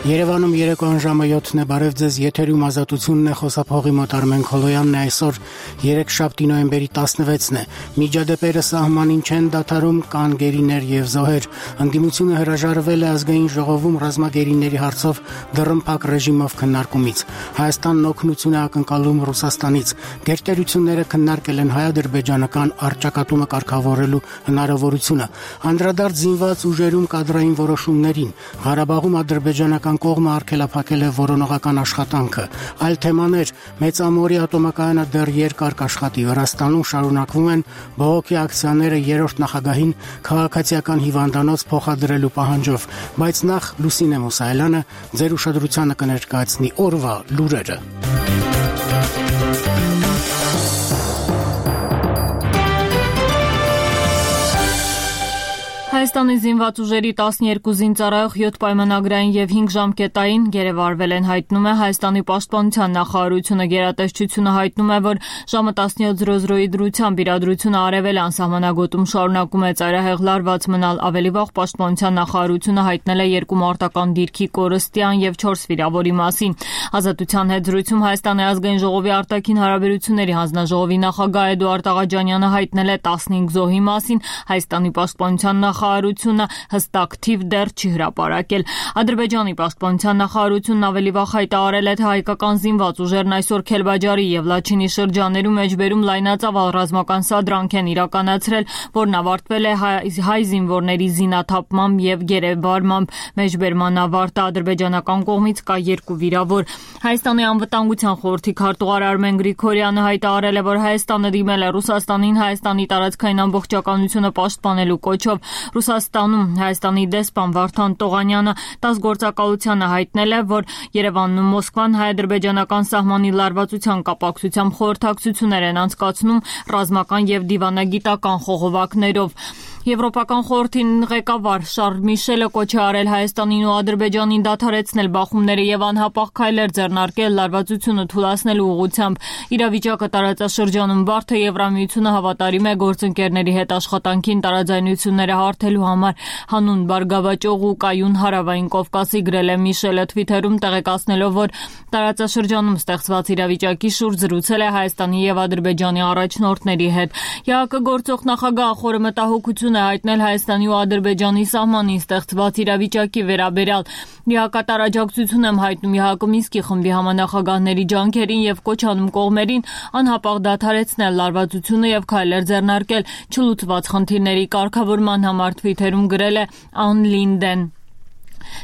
Երևանում երեկոյան ժամը 7-ն է, բարև ձեզ, եթերում ազատությունն է, խոսափողի մոտ Արմեն Քոլոյանն է, այսօր 3 նոյեմբերի 16-ն է, միջադեպերը սահմանին չեն դադարում, կան գերիներ եւ զոհեր, ընդդիմությունը հրաժարվել է ազգային ժողովում ռազմագերիների հարցով դռնփակ ռեժիմով քննարկումից, Հայաստանն օգնություն է ակնկալում Ռուսաստանից, գերտերությունները քննարկել են հայ-ադրբեջանական առճակատումը կարգավորելու հնարավորությունը, անդրադարձ զինված ուժերում կադրային որոշումներին, Ղարաբաղում ադրբեջանական կողմը արգելափակել է որոնողական աշխատանքը, այլ թեմաներ, մեծամորի ատոմակայանը դեռ երկար կաշխատի, Վրաստանում շարունակվում են բողոքի ակցիաները երրորդ նախագահին քաղաքացիական հիվանդանոց փոխադրելու պահանջով, բայց նախ Լուսինե Մուսայելյանը ձեր ուշադրությանը կներկայացնի օրվա լուրերը։ Հայաստանի զինված ուժերի 12 զինծառայող 7 պայմանագրային եւ 5 ժամկետային գերեվարվել են, հայտնում է Հայաստանի պաշտպանության նախարարությունը, գերատեսչությունը հայտնում է, որ ժամը 17:00-ի դրությամբ իրադրությունը արևելյան սահմանագոտում շարունակում է ծայրահեղ լարված մնալ, ավելի վաղ պաշտպանության նախարարությունը հայտնել է 2 մարտական դիրքի կորստյան եւ 4 վիրավորի մասին։ Ազատության հետ զրույցում Հայաստանի ազգային ժողովի արտաքին հարաբերությունների հանձնաժողովի նախագահ Էդուարդ Աղաջանյանը հայտնել է 15 զոհի մասին, Հայաստանի պաշտպանության նախարարությունը հստակ թիվ դեռ չի հրապարակել։ Ադրբեջանի պաշտպանության նախարարությունն ավելի վաղ հայտարարել է, թե հայկական զինված ուժերն այսօր Քելբաջարի եւ Լաչինի շրջաներում մեջբերում լայնածավալ ռազմական սադրանք են իրականացրել, որն ավարտվել է հայ զինվորների զինաթափմամբ եւ գերեվարմամբ։ Մեջբերման ավարտը ադրբեջանական կողմից կա 2 վիրավոր։ Հայաստանի անվտանգության խորհրդի քարտուղար Արմեն Գրիգորյանը հայտարարել է, որ Հայաստանը դիմել է Ռուսաստանին Հայաստանի տարածքային ամբողջականությունը պաշտպանելու կոչով։ Ռուսաստանում Հայաստանի դեսպան Վարդան Տողանյանը 10 գործակալությանը հայտնել է, որ Երևանն ու Մոսկվան հայ-ադրբեջանական սահմանի լարվածության կապակցությամբ խորհրդակցություններ են անցկացնում ռազմական եւ դիվանագիտական խողովակներով։ Եվրոպական խորհրդի ղեկավար Շարլ Միշելը կոչ է արել Հայաստանին ու Ադրբեջանին դադարեցնել բախումները եւ անհապաղ քայլեր ձեռնարկել լարվածությունը թուլացնելու ուղղությամբ։ Իրավիճակը տարածաշրջանում բարդ է, Եվրամիությունը հավատարիմ է գործընկերների հետ աշխատանքին տարաձայնությունները հարթելու համար, հանուն բարգավաճող ու կայուն հարավային Կովկասի, գրել է Միշելը Twitter-ում, տեղեկացնելով, որ տարածաշրջանում ստեղծված իրավիճակի շուրջ զրուցել է Հայաստանի եւ Ադրբեջանի առաջնորդների հետ։ ՀԱԿ գործող նախագահ խորը մտահոգություն է հայտնել Հայաստանի ու Ադրբեջանի սահմանին ստեղծված իրավիճակի վերաբերյալ։ Լիակատար աջակցություն եմ հայտնում ՀԱԿ Մինսկի խմբի համանախագահների ջանքերին եւ կոչ անում կողմերին անհապաղ դադարեցնել լարվածությունը եւ քայլեր ձեռնարկել չլուծված խնդիրների կարգավորման համար, Twitter-ում գրել է Ան Լինդեն։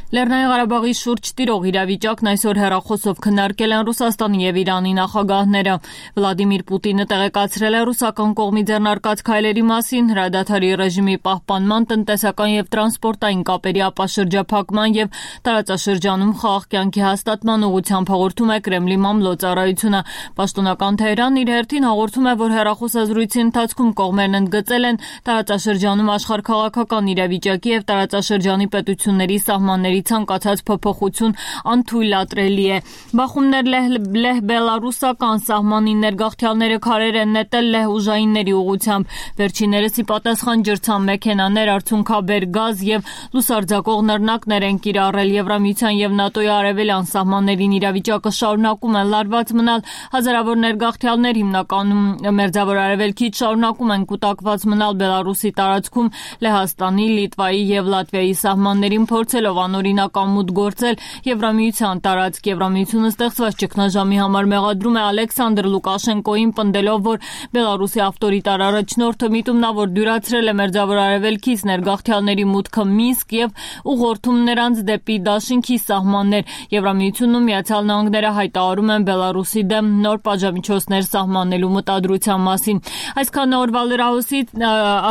Լեռնային Ղարաբաղի շուրջ տիրող իրավիճակն այսօր հեռախոսով քննարկել են Ռուսաստանի եւ Իրանի նախագահները։ Վլադիմիր Պուտինը տեղեկացրել է ռուսական կողմի ձեռնարկած քայլերի մասին, հրադադարի ռեժիմի պահպանման, տնտեսական եւ տրանսպորտային կապերի ապաշրջափակման եւ տարածաշրջանում խաղաղ կյանքի հաստատման ուղղությամբ հաղորդում է Կրեմլի մամլոյցարայությունը։ Պաշտոնական Թեհրանն իր հերթին հաղորդում է, որ հեռախոսազրույցի ընթացքում կողմերն ընդգծել են տարածաշրջանում աշխարհաքաղաքական իրավիճակի եւ տարածաշրջանի պետությունների սահմանների ցանկացած փոփոխություն անթույլատրելի է։ Բախումներ լեհ-բելարուսական սահմանի ներգաղթյալները քարեր են նետել լեհ-ուժայինների ուղղությամբ։ Վերջիններս ի պատասխան ջրցան մեքենաներ, արցունքաբեր գազ եւ լուսարձակող նռնակներ են կիրառել։ Եվրամիության եւ ՆԱՏՕ-ի արևելյան սահմաններին իրավիճակը շարունակում է լարված մնալ։ Հազարավոր ներգաղթյալներ հիմնականում Մերձավոր Արևելքից շարունակում են կուտակված մնալ Բելարուսի տարածքում, Լեհաստանի, Լիտվայի եւ Լատվիայի սահմաններին փորձելով անօրինական մուտք գործել Եվրամիության տարածք։ Եվրամիությունը ստեղծված ճգնաժամի համար մեղադրում է Ալեքսանդր Լուկաշենկոին, պնդելով, որ Բելարուսի ավտորիտար առաջնորդը միտումնավոր դյուրացրել է Մերձավոր Արևելքից ներգաղթյալների մուտքը Մինսկ եւ ուղղորդում նրանց դեպի Դաշինքի սահմաններ։ Եվրամիությունն ու Միացյալ Նահանգները հայտարարում են Բելարուսի դեմ նոր պատժամիջոցներ սահմանելու մտադրության մասին։ Այսքան օրվա լրահոսի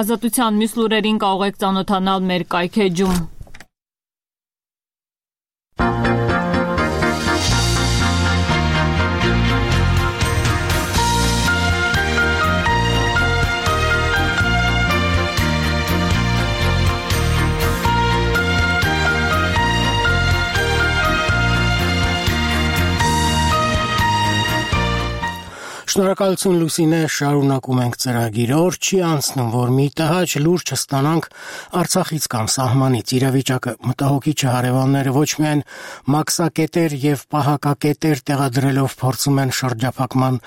ազատության մյուս լուրերին կարող եք ծանոթանալ մեր կայքեջում։ Շնորհակալություն Լուսինե, շարունակում ենք ծրագիրը։ Օր չի անցնում, որ մի տհաճ լուրջ չստանանք Արցախից կամ սահմանից։ Իրավիճակը մտահոգիչ է, հարևանները ոչ միայն մաքսակետեր եւ պահակակետեր տեղադրելով փորձում են շրջափակման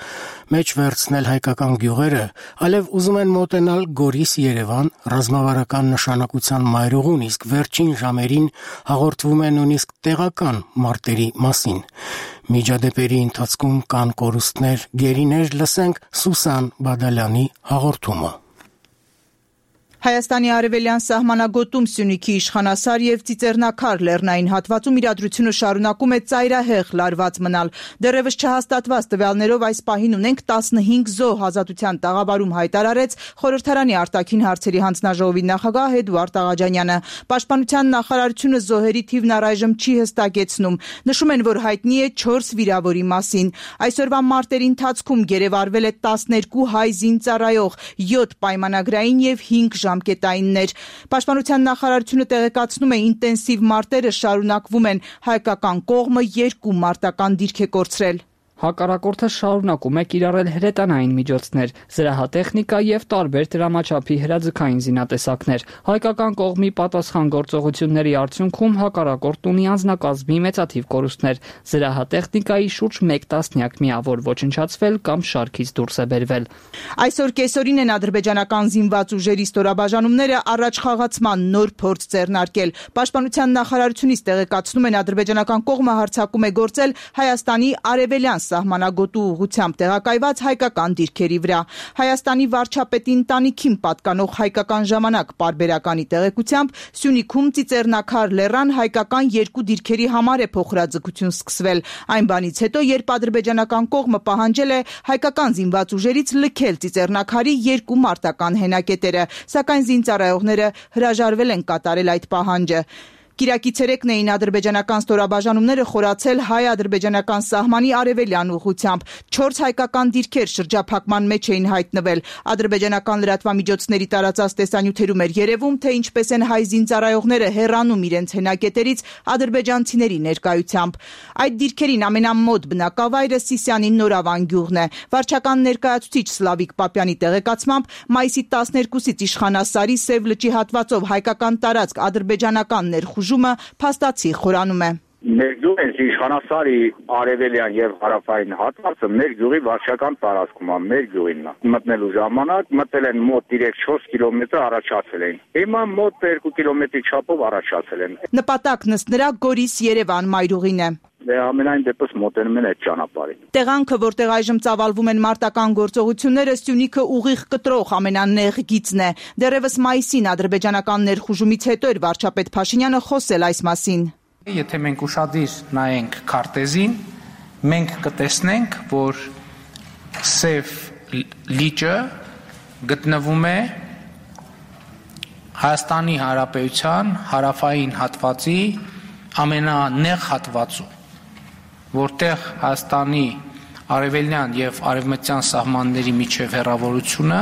մեջ վերցնել հայկական գյուղերը, այլև ուզում են մոտենալ Գորիս-Երևան ռազմավարական նշանակության մայրուղուն, իսկ վերջին ժամերին հաղորդվում է նույնիսկ տեղական մարտերի մասին։ Միջադեպերի ընթացքում կան կորուստներ, գերիներ, լսենք Սուսան Բադալյանի հաղորդումը։ Հայաստանի արևելյան սահմանագոտում Սյունիքի իշխանասար եւ Ծիծեռնակար լեռնային հատվածում իրադրությունը շարունակում է ծայրահեղ լարված մնալ։ Դեռևս չհաստատված տվյալներով այս պահին ունենք 15 զոհ, Ազատության տաղավարում հայտարարեց խորհրդարանի արտաքին հարցերի հանձնաժողովի նախագահ Էդուարդ Աղաջանյանը։ Պաշտպանության նախարարությունը զոհերի թիվն առայժմ չի հստակեցնում։ Նշում են, որ հայտնի է 4 վիրավորի մասին։ Այսօրվա մարտերի ընթացքում գերեվարվել է 12 հայ զինծառայող, 7 պայմանագրային եւ 5 ժամկետայիններ։ Պաշտպանության նախարարությունը տեղեկացնում է, ինտենսիվ մարտերը շարունակվում են, հայկական կողմը 2 մարտական դիրք է կորցրել։ Հակառակորդը շարունակում է կիրառել հրետանային միջոցներ, զրահատեխնիկա եւ տարբեր դրամաչափի հրաձգային զինատեսակներ։ Հայկական կողմի պատասխան գործողությունների արդյունքում հակառակորդն ունի անձնակազմի մեծաթիվ կորուստներ։ Զրահատեխնիկայի շուրջ 1 տասնյակ միավոր ոչնչացվել կամ շարքից դուրս է բերվել։ Այսօր կեսօրին են ադրբեջանական զինված ուժերի ստորաբաժանումները առաջխաղացման նոր փորձ ձեռնարկել։ Պաշտպանության նախարարությունից տեղեկացնում են, ադրբեջանական կողմը հարձակում է գործել Հայաստանի արևելյան սահմանագոտու ուղղությամբ տեղակայված հայկական դիրքերի վրա։ Հայաստանի վարչապետի ընտանիքին պատկանող Հայկական ժամանակ պարբերականի տեղեկությամբ Սյունիքում Ծիծեռնակար լեռան հայկական 2 դիրքերի համար է փոխհրաձգություն սկսվել։ Այն բանից հետո, երբ ադրբեջանական կողմը պահանջել է հայկական զինված ուժերից լքել Ծիծեռնակարի 2 մարտական հենակետերը, սակայն զինծառայողները հրաժարվել են կատարել այդ պահանջը։ Կիրակի ցերեկն էին ադրբեջանական ստորաբաժանումները խորացել հայ-ադրբեջանական սահմանի արևելյան ուղղությամբ։ 4 հայկական դիրքեր շրջափակման մեջ էին հայտնվել։ Ադրբեջանական լրատվամիջոցների տարածած տեսանյութերում էր երևում, թե ինչպես են հայ զինծառայողները հեռանում իրենց հենակետերից ադրբեջանցիների ներկայությամբ։ Այդ դիրքերին ամենամոտ բնակավայրը Սիսյանի Նորավան գյուղն է։ Վարչական ներկայացուցիչ Սլավիկ Պապյանի տեղեկացմամբ մայիսի 12-ից իշխանասարի Սև լճի հատվածով հայկական տարածք ադրբեջանական ներխուժումը փաստացի խորանում է։ Մեր գյուղը իշխանասարի արևելյան եւ հարավային հատվածը մեր գյուղի վարչական տարածքում է, մեր գյուղինն է։ Մտնելու ժամանակ մտել են մոտ 3-4 կիլոմետր առաջացել են։ Հիմա մոտ 2 կիլոմետրի չափով առաջացել են։ Նպատակն ըստ նրա Գորիս-Երևան մայրուղին է։ Ամենայն դեպս մոտենում են այդ ճանապարհին։ Տեղանքը, որտեղ այժմ ծավալվում են մարտական գործողությունները, Սյունիքը ուղիղ կտրող ամենանեղ գիծն է։ Դեռևս մայիսին ադրբեջանական ներխուժումից հետո էր վարչապետ Փաշինյանը խոսել այս մասին։ Եթե մենք ուշադիր նայենք քարտեզին, մենք կտեսնենք, որ Սև լիճը գտնվում է Հայաստանի Հանրապետության հարավային հատվածի ամենանեղ հատվածում, որտեղ Հայաստանի արևելյան եւ արևմտյան սահմանների միջև հեռավորությունը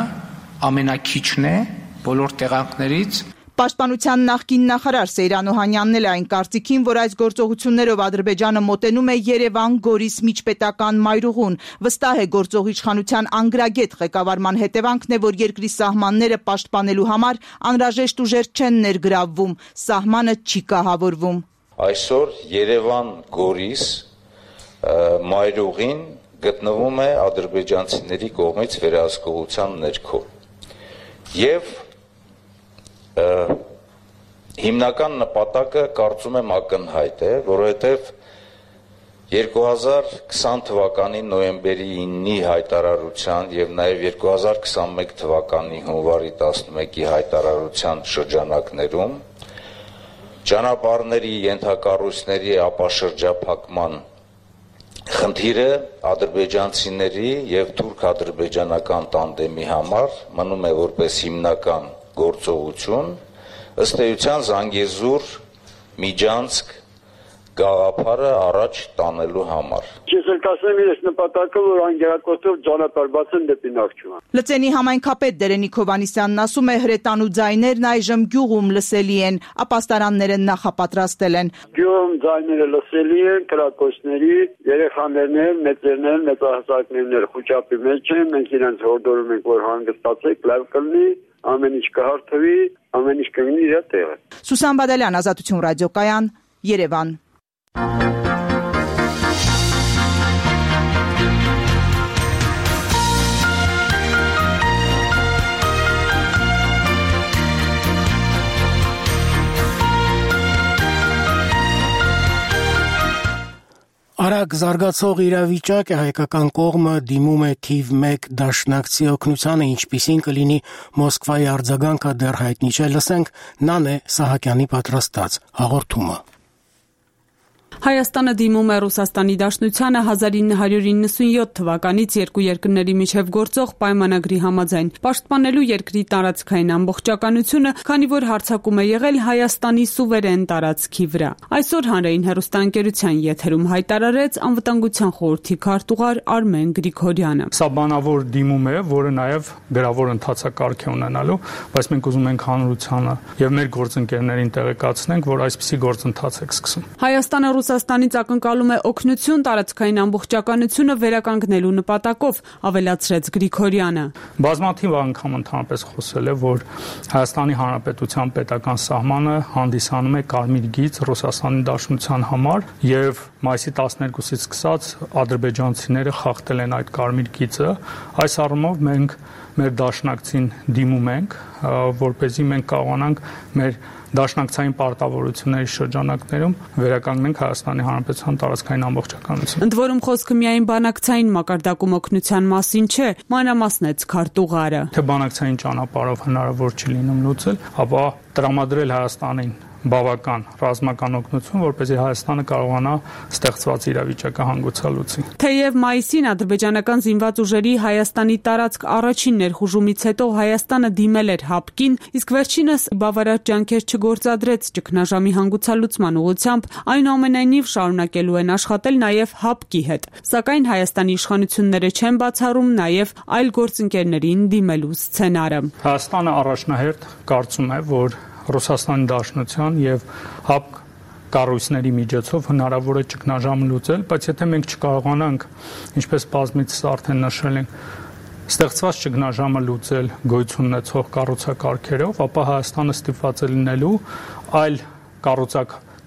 ամենակիչն է բոլոր տեղանքներից։ Պաշտպանության նախկին նախարար Սեյրան Օհանյանն էլ այն կարծիքին, որ այս գործողություններով Ադրբեջանը մոտենում է Երևան-Գորիս միջպետական մայրուղուն։ Վստահ է, գործող իշխանության անգրագետ ղեկավարման հետևանքն է, որ երկրի սահմանները պաշտպանելու համար անհրաժեշտ ուժեր չեն ներգրավվում, սահմանը չի կահավորվում։ Այսօր Երևան-Գորիս մայրուղին գտնվում է ադրբեջանցիների կողմից վերահսկողության ներքո։ Եվ հիմնական նպատակը կարծում եմ ակնհայտ է, որովհետև 2020 թվականի նոյեմբերի 9-ի հայտարարության եւ նաեւ 2021 թվականի հունվարի 11-ի հայտարարության շրջանակներում ճանապարհների ենթակառույցների ապաշրջափակման խնդիրը ադրբեջանցիների եւ թուրք-ադրբեջանական տանդեմի համար մնում է որպես հիմնական գործողություն, ըստ էության Զանգեզուր, Միջանցք, գաղափարը առաջ տանելու համար։ Ես էլ կասեմ իրենց նպատակը, որ անգերակոծով ճանապարհ բացեն դեպի Նախճիվան։ Լծենի համայնքապետ Դերենիկ Հովհաննիսյանն ասում է, հրետանու ձայներն այժմ գյուղում լսելի են, ապաստարանները նախապատրաստել են։ Գյուղում ձայները լսելի են, կրակոցների, երեխաներն, մեծերն, մեծահասակներն խոճապի մեջ են, մենք իրենց հորդորում ենք, որ հանգստացեք, լավ կլինի, ամեն ինչ կհարթվի, ամեն ինչ կգնի իր տեղը։ Սուսան Բադալյան, Ազատություն ռադիոկայան, Երևան։ Արագ զարգացող իրավիճակ է, հայկական կողմը դիմում է թիվ 1 դաշնակցի օգնությանը, ինչպիսին կլինի Մոսկվայի արձագանքը դեռ հայտնի չէ, լսենք Նանե Սահակյանի պատրաստած հաղորդումը։ Հայաստանը դիմում է Ռուսաստանի Դաշնությանը 1997 թվականից երկու երկրների միջև գործող պայմանագրի համաձայն պաշտպանելու երկրի տարածքային ամբողջականությունը, քանի որ հարձակում է եղել Հայաստանի սուվերեն տարածքի վրա։ Այսօր հանրային հեռուստաընկերության եթերում հայտարարեց Անվտանգության խորհրդի քարտուղար Արմեն Գրիգորյանը։ Սա բանավոր դիմում է, որը նաև գրավոր ընթացակարգ է ունենալու, բայց մենք ուզում ենք հանրությանը եւ մեր գործընկերներին տեղեկացնենք, որ այսպիսի գործընթաց է սկսում։ Հայաստանը Ռուսաստանից ակնկալում է օգնություն տարածքային ամբողջականությունը վերականգնելու նպատակով, ավելացրեց Գրիգորյանը։ Բազմաթիվ անգամ ընդհանրապես խոսել է, որ Հայաստանի Հանրապետության պետական սահմանը հանդիսանում է կարմիր գիծ Ռուսաստանի Դաշնության համար եւ մայիսի 12-ից սկսած ադրբեջանցիները խախտել են այդ կարմիր գիծը։ Այս առումով մենք մեր դաշնակցին դիմում ենք, որպեսզի մենք կարողանանք մեր դաշնակցային պարտավորությունների շրջանակներում վերականգնենք Հայաստանի Հանրապետության տարածքային ամբողջականությունը։ Ընդ որում խոսքը միայն բանակցային մակարդակում օգնության մասին չէ, մանրամասնեց քարտուղարը։ Թե բանակցային ճանապարհով հնարավոր չի լինում լուծել, ապա տրամադրել Հայաստանին բավական ռազմական օգնություն, որպեսզի Հայաստանը կարողանա ստեղծված իրավիճակը հանգուցալուծի։ Թեև մայիսին ադրբեջանական զինված ուժերի Հայաստանի տարածք առաջին ներխուժումից հետո Հայաստանը դիմել էր ՀԱՊԿ-ին, իսկ վերջինս բավարար ջանքեր չգործադրեց ճգնաժամի հանգուցալուծման ուղղությամբ, այնուամենայնիվ շարունակելու են աշխատել նաև ՀԱՊԿ-ի հետ։ Սակայն Հայաստանի իշխանությունները չեն բացառում նաև այլ գործընկերներին դիմելու սցենարը։ Հայաստանը առաջնահերթ կարծում է, որ Ռուսաստանի Դաշնության եւ ՀԱՊԿ կառույցների միջոցով հնարավոր է ճգնաժամը լուծել, բայց եթե մենք չկարողանանք, ինչպես բազմիցս արդեն նշել ենք, ստեղծված ճգնաժամը լուծել գոյություն ունեցող կառուցակարգերով, ապա Հայաստանը ստիպված է լինելու այլ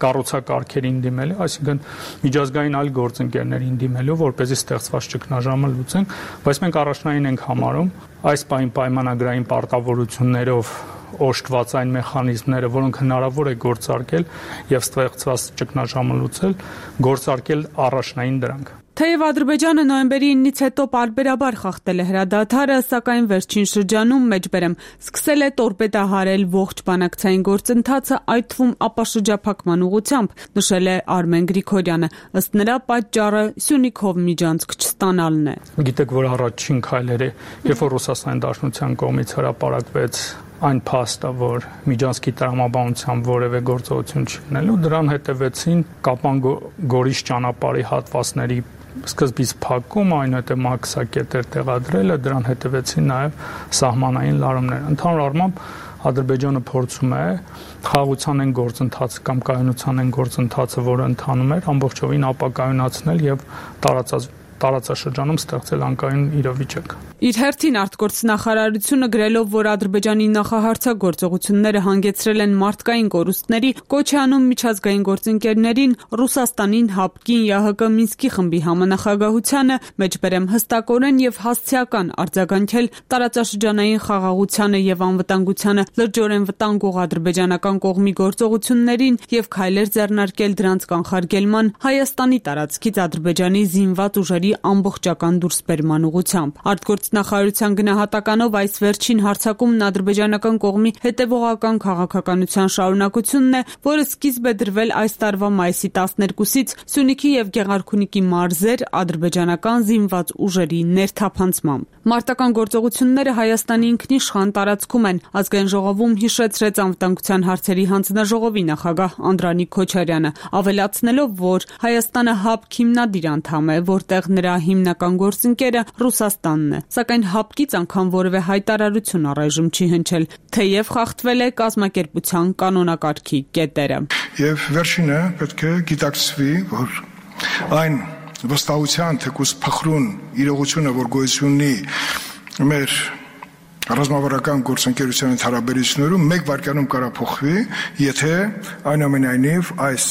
կառուցակարգերին դիմելու, այսինքն միջազգային այլ գործընկերներին դիմելու, որպեսզի ստեղծված ճգնաժամը լուծենք, բայց մենք առաջնային ենք համարում այս պայմանագրային պարտավորություններով օժտված այն մեխանիզմները, որոնք հնարավոր է գործարկել եւ ստեղծված ճգնաժամը լուծել, գործարկել առաջնային դրանք։ Թեև Ադրբեջանը նոյեմբերի 9-ից հետո պարբերաբար խախտել է հրադադարը, սակայն վերջին շրջանում մեջբերեմ սկսել է տորպեդահարել ողջ բանակցային գործընթացը, այդ թվում ապաշրջափակման ուղղությամբ, նշել է Արմեն Գրիգորյանը։ Ըստ նրա պատճառը Սյունիքով միջանցք չստանալն է։ Գիտեք, որ առաջին քայլերը, երբ որ Ռուսաստանի Դաշնության կողմից հրապարակվեց այն փաստը, որ միջանցքի տրամաբանությամբ որևէ գործողություն չունենալու, դրան հետևեցին Կապան-Գորիս ճանապարհի հատվածների սկզբից փակում, այնուհետև մաքսակետեր տեղադրելը, դրան հետևեցին նաև սահմանային լարումներ։ Ընդհանուր առմամբ Ադրբեջանը փորձում է խաղաղության են գործընթացը կամ կայունության են գործընթացը, որը ընթանում էր, ամբողջովին ապակայունացնել եւ տարածաշրջանում ստեղծել անկայուն իրավիճակ։ Իր հերթին արտգործնախարարությունը գրելով, որ Ադրբեջանի նախահարցակ գործողությունները հանգեցրել են մարդկային կորուստների, կոչ է անում միջազգային գործընկերներին, Ռուսաստանին, ՀԱՊԿ-ին, ԵԱՀԿ Մինսկի խմբի համանախագահությանը, մեջբերեմ հստակորեն եւ հասցեական արձագանքել տարածաշրջանային խաղաղությանը եւ անվտանգությանը լրջորեն վտանգող ադրբեջանական կողմի գործողություններին եւ քայլեր ձեռնարկել դրանց կանխարգելման, Հայաստանի տարածքից Ադրբեջանի զինված ուժերի ամբողջական դուրսբերման ուղղությամբ։ Արտգործնախարարության գնահատականով այս վերջին հարձակումն ադրբեջանական կողմի հետևողական քաղաքականության շարունակությունն է, որը սկիզբ է դրվել այս տարվա մայիսի 12-ից Սյունիքի եւ Գեղարքունիքի մարզեր ադրբեջանական զինված ուժերի ներթափանցմամբ։ Մարտական գործողությունները Հայաստանի ինքնիշխան տարածքում են, ազգային ժողովում հիշեցրեց անվտանգության հարցերի հանձնաժողովի նախագահ Անդրանիկ Քոչարյանը, ավելացնելով, որ Հայաստանը ՀԱՊԿ հիմնադիր անդամ է, որտեղ նրա հիմնական գործընկերը Ռուսաստանն է, սակայն ՀԱՊԿ-ից անգամ որևէ հայտարարություն առայժմ չի հնչել, թեև խախտվել է կազմակերպության կանոնակարգի կետերը։ Եվ վերջինը պետք է գիտակցվի, որ այն վստահության թեկուզ փխրուն իրողությունը, որ գոյություն ունի մեր ռազմավարական գործընկերության հարաբերություններում, մեկ վայրկյանում կարող փոխվի, եթե այնուամենայնիվ այս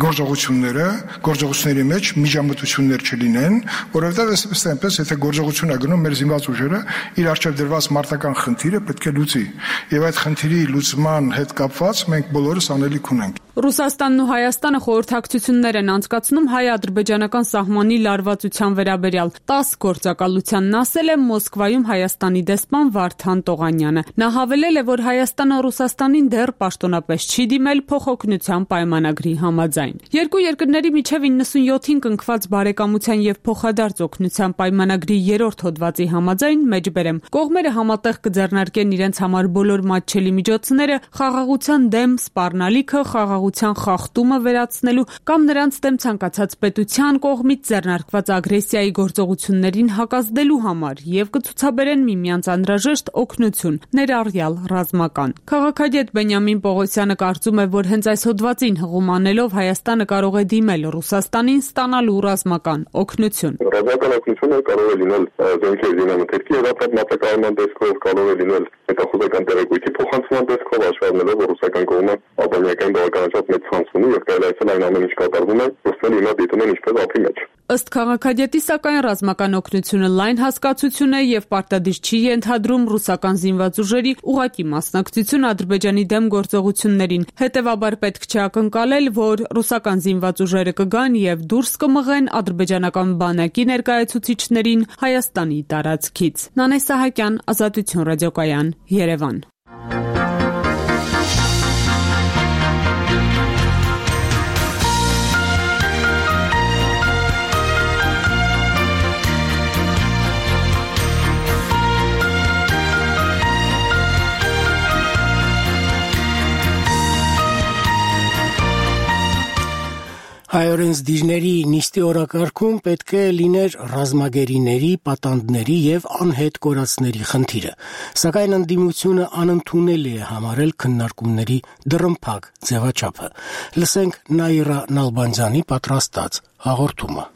գործողությունների մեջ միջամտություններ չլինեն, որովհետև այնպես, եթե գործողություն է գնում, մեր զինված ուժերը իր առջև դրված մարտական խնդիրը պետք է լուծի, եւ այդ խնդիրի լուծման հետ կապված մենք բոլորս անելիք ունենք։ Ռուսաստանն ու Հայաստանը խորհրդակցություններ են անցկացնում հայ-ադրբեջանական սահմանի լարվածության վերաբերյալ։ 10 գործակալությանն ասել է Մոսկվայում Հայաստանի դեսպան Վարդան Տողանյանը։ Նա հավելել է, որ Հայաստանը Ռուսաստանին դեռ պաշտոնապես չի դիմել փոխօգնության պայմանագրի համաձայն։ Երկու երկրների միջև 97-ին կնքված բարեկամության եւ փոխադարձ օգնության պայմանագրի 3-րդ հոդվածի համաձայն մեջբերեմ կողմերը համատեղ կձեռնարկեն իրենց համար բոլոր մատչելի միջոցները խաղաղության դեմ սպառնալիքը, խաղաղության խախտումը վերացնելու կամ նրանց դեմ ցանկացած պետության կողմից ձեռնարկված ագրեսիայի գործողություններին հակազդելու համար եւ կցուցաբերեն միմյանց անհրաժեշտ օգնություն, ներառյալ ռազմական։ Քաղաքագետ Բենյամին Պողոսյանը կարծում է, որ հենց այս հոդվածին հղում անելով Հայաստանը կարող է դիմել Ռուսաստանին ստանալու ռազմական օգնություն։ Ռազմական օգնությունը կարող է լինել զենքեր զինամթերքի եւ ապրանքական տեսքով, կարող է լինել հետախուզական տեղեկույթի փոխանցման տեսքով, հաշվառելով ռուսական կողմը ալբանիական բավականաչափ մեծ ցանց ունի եւ կարելի է այն ամեն ինչ կատարվում է, ռուսները հիմա դիտում են ինչպես ափի մեջ։ Ըստ քաղաքագետի, սակայն ռազմական օգնությունը լայն հասկացություն է եւ պարտադիր չի ենթադրում ռուսական զինված ուժերի ուղղակի մասնակցություն Ադրբեջանի դեմ գործողություններին։ Հետևաբար պետք չէ ակնկալել, որ ռուսական զինված ուժերը կգան եւ դուրս կմղեն ադրբեջանական բանակի ներկայացուցիչներին Հայաստանի տարածքից։ Նանե Սահակյան, Ազատություն ռադիոկայան, Երևան։ Հայօրենս դիրների նիստի օրակարգում պետք է լիներ ռազմագերիների, պատանդների եւ անհետ կորածների խնդիրը, սակայն ընդդիմությունը անընդունելի է համարել քննարկումների դռնփակ ձևաչափը։ Լսենք Նաիրա Նալբանդյանի պատրաստած հաղորդումը։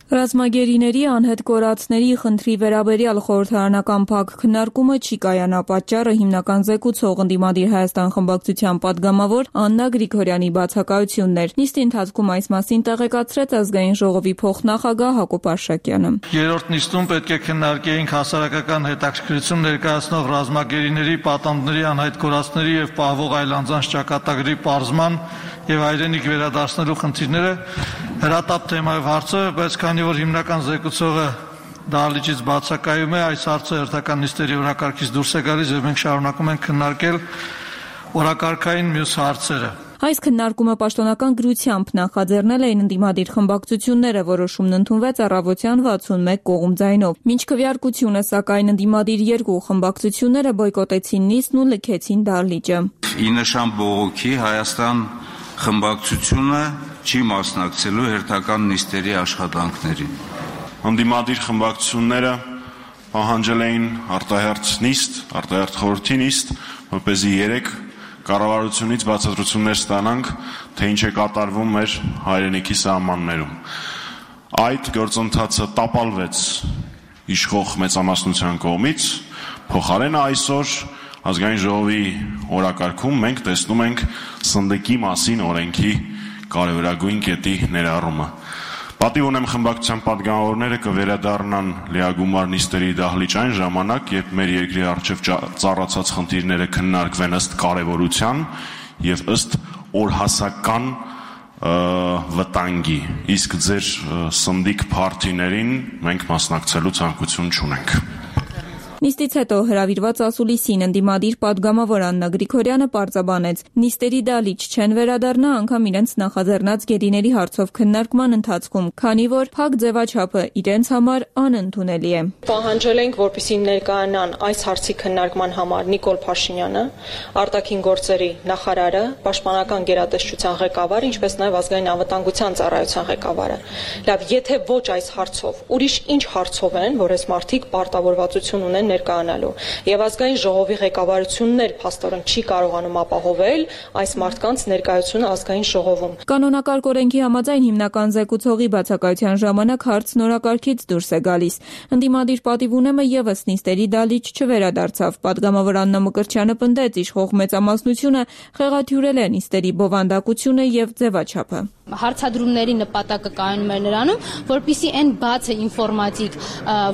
Ռազմագերիների անհետ կորածների խնդրի վերաբերյալ խորհրդարանական փակ քննարկումը չի կայանա, պատճառը հիմնական զեկուցող ընդդիմադիր Հայաստան խմբակցության падգամավոր Աննա Գրիգորյանի բացակայությունն էր։ Նիստի ընթացքում այս մասին տեղեկացրեց ազգային ժողովի փոխնախագահ Հակոբ Արշակյանը։ Երրորդ նիստում պետք է քննարկեինք հասարակական հետաքրքրություն ներկայացնող ռազմագերիների, պատանդների, անհետ կորածների եւ պահվող այլ անձանց ճակատագրի պարզման եւ հայրենիք վերադարձնելու խնդիրները հրատապ թեմայով հարցը, բայց քանի որ հիմնական զեկուցողը դահլիճից բացակայում է, այս հարցը հերթական նիստերի օրակարգից դուրս է գալիս եւ մենք շարունակում ենք քննարկել օրակարգային մյուս հարցերը։ Այս քննարկումը պաշտոնական գրությամբ նախաձեռնել էին ընդդիմադիր խմբակցությունները, որոշումն ընդունվեց առավոտյան 61 կողմ ձայնով։ Մինչ քվեարկությունը, սակայն ընդդիմադիր երկու խմբակցությունները բոյկոտեցին նիստն ու լքեցին դահլիճը։ Ի նշան բողոքի Հայաստան խմբակցությունը չի մասնակցելու հերթական նիստերի աշխատանքներին։ Ընդդիմադիր խմբակցությունները պահանջել էին արտահերթ նիստ, արտահերթ խորհրդի նիստ, որպեսզի 3 կառավարությունից բացատրություններ ստանանք, թե ինչ է կատարվում մեր հայրենիքի սահմաններում։ Այդ գործընթացը տապալվեց իշխող մեծամասնության կողմից, փոխարենը այսօր ազգային ժողովի օրակարգում մենք տեսնում ենք սնդիկի մասին օրենքի կարևորագույն կետի ներառումը։ Պատիվ ունեմ խմբակցության падգամավորները կվերադառնան լիագումար նիստերի դահլիճ այն ժամանակ, երբ մեր երկրի առջև ծառացած խնդիրները քննարկվեն ըստ կարևորության եւ ըստ օրհասական վտանգի, իսկ ձեր սնդիկ փարթիներին մենք մասնակցելու ցանկություն չունենք։ Նիստից հետո հրավիրված ասուլիսին ընդդիմադիր պատգամավոր Աննա Գրիգորյանը պարզաբանեց. նիստերի դալիճ չեն վերադառնա անգամ իրենց նախաձեռնած գերիների հարցով քննարկման ընթացքում, քանի որ փակ ձևաչափը իրենց համար անընդունելի է։ Պահանջել ենք, որպեսզի ներկայանան այս հարցի քննարկման համար Նիկոլ Փաշինյանը, արտաքին գործերի նախարարը, պաշտպանական գերատեսչության ղեկավարը, ինչպես նաև ազգային անվտանգության ծառայության ղեկավարը։ Լավ, եթե ոչ այս հարցով, ուրիշ ինչ հարցով են, որ այս մարդիկ պարտավորվածություն ունեն ներկայանալու եւ ազգային ժողովի ղեկավարությունն էլ փաստորեն չի կարողանում ապահովել այս մարդկանց ներկայությունը ազգային ժողովում։ Կանոնակարգ օրենքի համաձայն հիմնական զեկուցողի բացակայության ժամանակ հարցն օրակարգից դուրս է գալիս։ Ընդդիմադիր պատիվ ունեմը եւս նիստերի դալիճ չվերադարձավ։ Պատգամավոր Աննա Մկրտչյանը պնդեց, իշխող մեծամասնությունը խեղաթյուրել է նիստերի բովանդակությունը եւ ձևաչափը։ Հարցադրումների նպատակը կայանում է նրանում, որպեսզի այն բացը ինֆորմատիկ,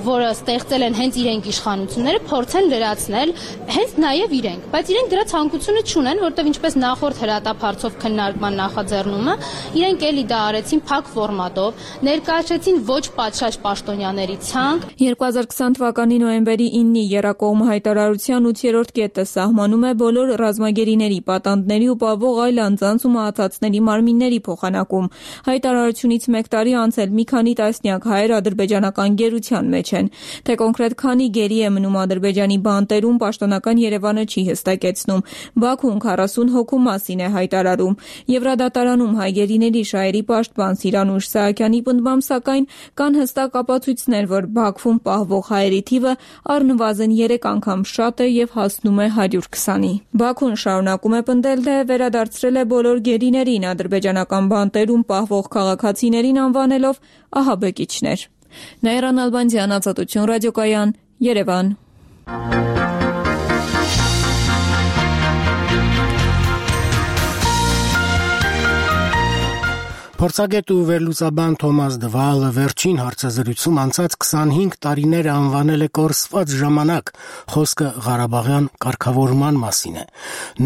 որը ստեղծել են հենց իրենք իշխանությունները, փորձեն լրացնել հենց նաև իրենք, բայց իրենք դրա ցանկությունը չունեն, որտեղ ինչպես նախորդ հրատապարցով քննարկման նախաձեռնումը, իրենք էլի դա արեցին փակ ֆորմատով, ներկայացրեցին ոչ պատշաճ պաշտոնյաների ցանկ։ 2020 թվականի նոյեմբերի 9-ի Եռակողմ հայտարարության 8-րդ կետը սահմանում է բոլոր ռազմագերիների, պատանդների ու պահվող այլ անձանց ու մահացածների մարմինների փոխանակում։ Հայտարարությունից 1 տարի անցել մի քանի տասնյակ հայեր ադրբեջանական գերության մեջ են։ Թե կոնկրետ քանի գերի է մնում Ադրբեջանի բանտերում, պաշտոնական Երևանը չի հստակեցնում։ Բաքուն 40 հոգու մասին է հայտարարում։ Եվրադատարանում հայ գերիների շահերի պաշտպան Սիրանուշ Սահակյանի պնդմամբ, սակայն կան հստակ ապացույցներ, որ Բաքվում պահվող հայերի թիվը առնվազն 3 անգամ շատ է եւ հասնում է 120-ի։ Բաքուն շարունակում է պնդել, թե վերադարձրել է բոլոր գերիներին, ադրբեջանական բանտերում պահվող քաղաքացիներին անվանելով ահաբեկիչներ։ Նաիրան Ալբանդյան, Ազատություն ռադիոկայան, Երևան։ Փորձագետ ու վերլուծաբան Թոմաս Դվալը վերջին հարցազրույցում անցած 25 տարիները անվանել է կորսված ժամանակ, խոսքը Ղարաբաղյան կարգավորման մասին է։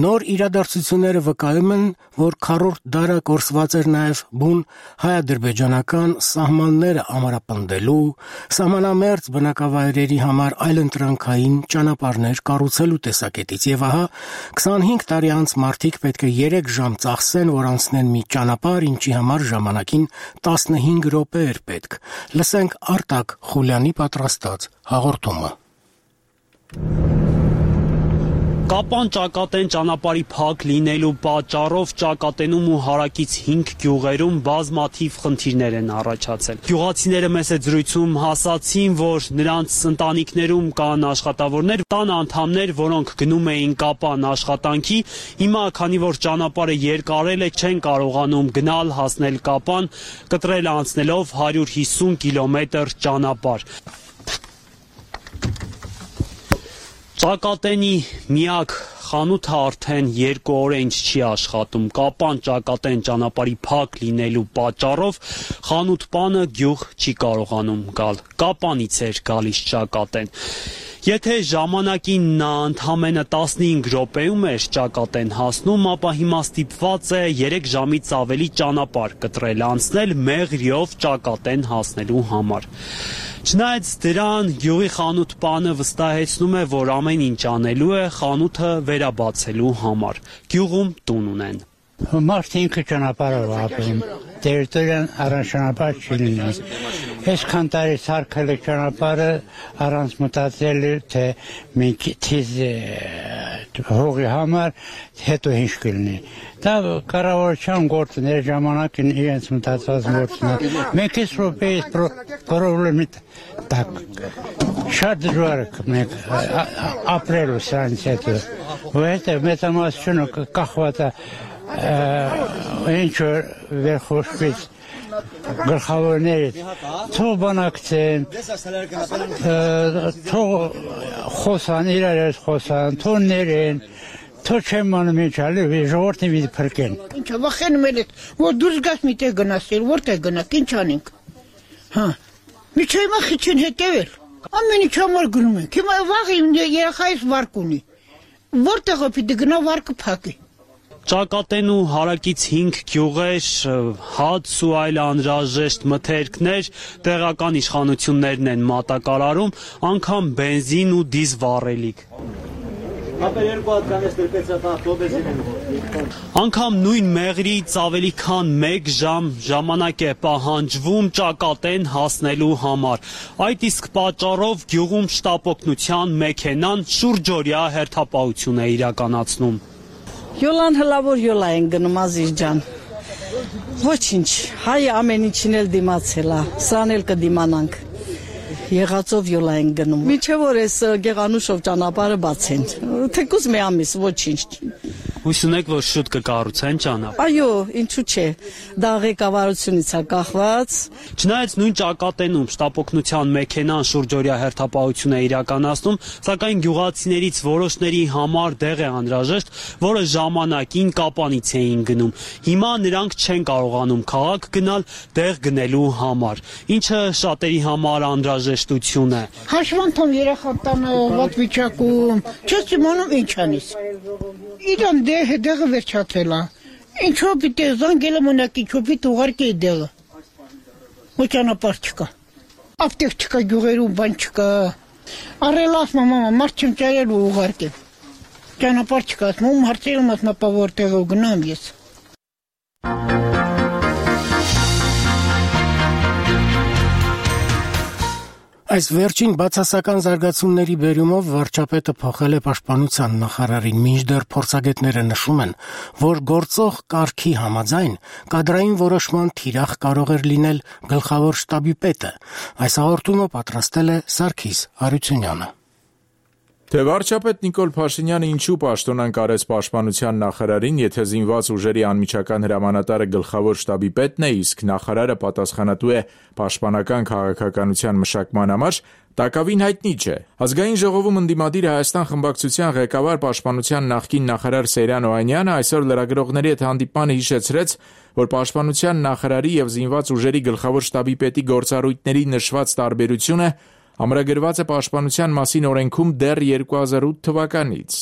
Նոր իրադարձությունները վկայում են, որ քառորդ դարը կորսված էր նաև բուն հայ-ադրբեջանական սահմանները ամրապնդելու, սահմանամերձ բնակավայրերի համար այլընտրանքային ճանապարհներ կառուցելու տեսակետից, եւ ահա 25 տարի անց մարդիկ պետք է 3 ժամ ծախսեն, որ անցնեն մի ճանապարհ, ինչի համար ժամանակին 15 րոպե էր պետք։ Լսենք Արտակ Խուլյանի պատրաստած հաղորդումը։ Կապան ճակատեն ճանապարհի փակ լինելու պատճառով ճակատենում ու հարակից 5 գյուղերում բազմաթիվ խնդիրներ են առաջացել։ Գյուղացիները մեծ զրույցում հասացին, որ նրանց ընտանիքներում կան աշխատավորներ, տան անդամներ, որոնք գնում էին Կապան աշխատանքի, հիմա քանի որ ճանապարհը երկարել է, չեն կարողանում գնալ հասնել Կապան, կտրել անցնելով 150 կիլոմետր ճանապարհ։ Ճակատենի միակ խանութը արդեն 2 օր է ինչ չի աշխատում։ Կապան ճակատեն ճանապարհի փակ լինելու պատճառով խանութ պանը գյուղ չի կարողանում գալ։ Կապանից էր գալիս ճակատեն։ Եթե ժամանակին նա ընդամենը 15 րոպեում էր ճակատեն հասնում, ապա հիմա ստիպված է 3 ժամից ավելի ճանապարհ կտրել անցնել մեղրիով ճակատեն հասնելու համար։ Չնայած դրան, գյուղի խանութ պանը վստահեցնում է, որ ամեն ինչ անելու է խանութը վերաբացելու համար։ Գյուղում տուն ունեն։ Մարդը ինքը ճանապարհով ապրում, տերիտորիան առանց ճանապարհ չի լինում։ Այսքան տարի սարքել է ճանապարհը առանց մտածել, թե մենք թիզ հողի համար հետո ինչ կլինի։ Դա կառավարության գործն է, ժամանակին իրենց մտածած գործն է։ Մենք այս րոպեից պրոբլեմի տակ շատ դժվար է մենք ապրելու սրանից հետո։ Որովհետև մեծամասնությունը կախված է ինչ որ վերխոշվից գլխավորներից թող բանակցեն, թող խոսան, իրար ես խոսան, թող ներեն, թող չեմ մանում ինչ ալի, ժողովրդին մի փրկեն։ Ինչա վախենում եք, որ դուրս գաս մի տեղ գնացել, որտեղ գնաք, ինչ անենք։ Հա, միջի հիմա խիչին հետևել։ Ամեն ինչ համար գնում ենք։ Հիմա վաղ երեխայիս վարկ ունի։ Որտեղ պիտի գնա վարկը փակի։ Ճակատեն ու հարակից 5 գյուղեր, հաց ու այլ անհրաժեշտ մթերքներ տեղական իշխանություններն են մատակարարում, անգամ բենզին ու դիզ վառելիք։ Անգամ նույն մեղրից ավելի քան 1 ժամ ժամանակ է պահանջվում ճակատեն հասնելու համար։ Այդ իսկ պատճառով գյուղում շտապօգնության մեքենան շուրջօրյա հերթապահություն է իրականացնում։ Յոլան հլավոր յոլա են գնում Ազիզ ջան։ Ոչինչ, հայ ամեն ինչին էլ դիմացել է, սրան էլ կդիմանանք։ Եղածով յոլա են գնում։ Միջև որ էս Գեղանուշով ճանապարհը բացեն։ Թեկուզ մի ամիս ոչինչ։ Հույս ունեք, որ շուտ կկառուցեն ճանապարհ։ Այո, ինչու՞ չէ։ Դա ղեկավարությունից է կախված։ Չնայած նույն ճակատենում շտապօգնության մեքենան շուրջօրյա հերթապահություն է իրականացնում, սակայն գյուղացիներից որոշների համար դեղ է անհրաժեշտ, որը ժամանակին Կապանից էին գնում։ Հիմա նրանք չեն կարողանում քաղաք գնալ դեղ գնելու համար, ինչը շատերի համար անհրաժեշտություն է։ Հաշվանդամ երեխա տանը վատ վիճակում, չես իմանում ինչ անես։ Իրան դեղը վերջացել է։ Ինչո՞ւ պիտի զանգելը մնակի չոփիտ ուղարկի դեղը։ Ոչ ճանապարհ չկա։ Ապտեք չկա, գյուղերում բան չկա։ Առելաս մամա, մարդ չեմ ճարել ու ուղարկել։ Ճանապարհ չկա, ասում հարցերում ասում ապա որտեղով գնամ ես։ Այս վերջին բացասական զարգացումների բերումով վարչապետը փոխել է պաշտպանության նախարարին, մինչդեռ փորձագետները նշում են, որ գործող կարգի համաձայն կադրային որոշման թիրախ կարող էր լինել գլխավոր շտաբի պետը։ Այս հաղորդումը պատրաստել է Սարգիս Արությունյանը։ Թե վարչապետ Նիկոլ Փաշինյանը ինչու պաշտոնանկ արեց պաշտպանության նախարարին, եթե զինված ուժերի անմիջական հրամանատարը գլխավոր շտաբի պետն է, իսկ նախարարը պատասխանատու է պաշտպանական քաղաքականության մշակման համար, տակավին հայտնի չէ։ Ազգային ժողովում ընդդիմադիր Հայաստան խմբակցության ղեկավար պաշտպանության նախկին նախարար Սեյրան Օհանյանը այսօր լրագրողների հետ հանդիպմանը հիշեցրեց, որ պաշտպանության նախարարի եւ զինված ուժերի գլխավոր շտաբի պետի գործառույթների նշված տարբերությունը ամրագրված է պաշտպանության մասին օրենքում դեռ 2008 թվականից։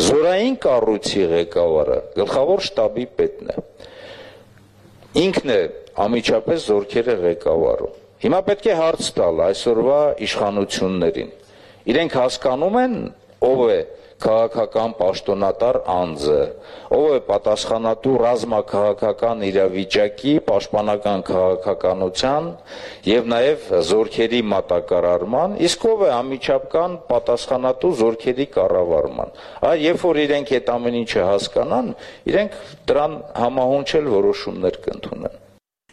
Զորային կառույցի ղեկավարը գլխավոր շտաբի պետն է։ Ինքն է անմիջապես զորքերը ղեկավարում։ Հիմա պետք է հարց տալ այսօրվա իշխանություններին։ Իրենք հասկանում են ով է քաղաքական պաշտոնատար անձը, ով է պատասխանատու ռազմաքաղաքական իրավիճակի, պաշտպանական քաղաքականության եւ նաեւ զորքերի մատակարարման, իսկ ով է անմիջական պատասխանատու զորքերի կառավարման։ Երբ որ իրենք այդ ամեն ինչը հասկանան, իրենք դրան համահունչել որոշումներ կընդունեն։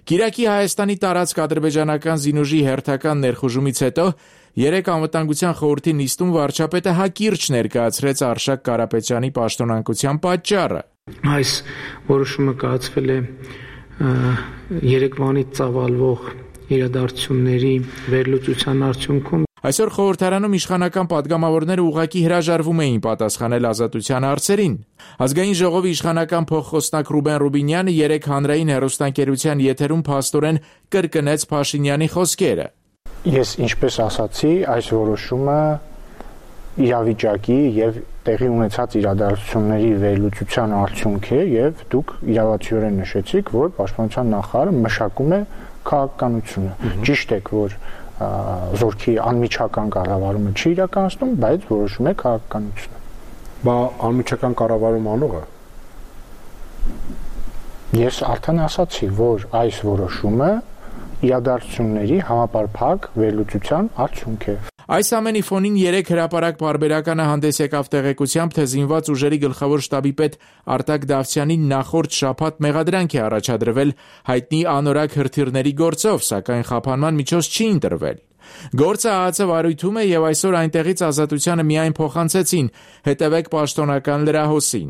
Կիրակի Հայաստանի տարածք ադրբեջանական զինուժի հերթական ներխուժումից հետո երեք անվտանգության խորհրդի նիստում վարչապետը հակիրճ ներկայացրեց Արշակ Կարապետյանի պաշտոնանկության պատճառը։ Այս որոշումը կայացվել է երեկվանից ծավալվող իրադարձությունների վերլուծության արդյունքում։ Այսօր խորհրդարանում իշխանական падգամավորները ուղղակի հրաժարվում էին պատասխանել ազատության հարցերին։ Ազգային ժողովի իշխանական փոխխոսնակ Ռուբեն Ռուբինյանը երեք հանրային հեռուստաընկերության եթերում փաստորեն կրկնեց Փաշինյանի խոսքերը։ Ես ինչպես ասացի, այս որոշումը իրավիճակի եւ տեղի ունեցած իրադարձությունների վերլուծության արդյունք է եւ դուք իրավացիորեն նշեցիք, որ պաշտպանության նախարարը մշակում է քաղաքականությունը։ Ճիշտ է, որ զորքի անմիջական կառավարումը չի իրականացնում, բայց որոշում է քաղաքականությունը։ Բա անմիջական կառավարում անողը։ Ես արդեն ասացի, որ այս որոշումը իրադարձությունների համապարփակ վերլուծության արդյունք է։ Այս ամենի ֆոնին երեք հրապարակ պարբերականը հանդես եկավ տեղեկությամբ, թե զինված ուժերի գլխավոր շտաբի պետ Արտակ Դավթյանին նախորդ շաբաթ մեղադրանք է առաջադրվել հայտնի անորակ հրթիռների գործով, սակայն խափանման միջոց չի ընտրվել։ Գործը ԱԱՑ վարույթում է եւ այսօր այնտեղից ազատությանը միայն փոխանցեցին, հետևեք պաշտոնական լրահոսին։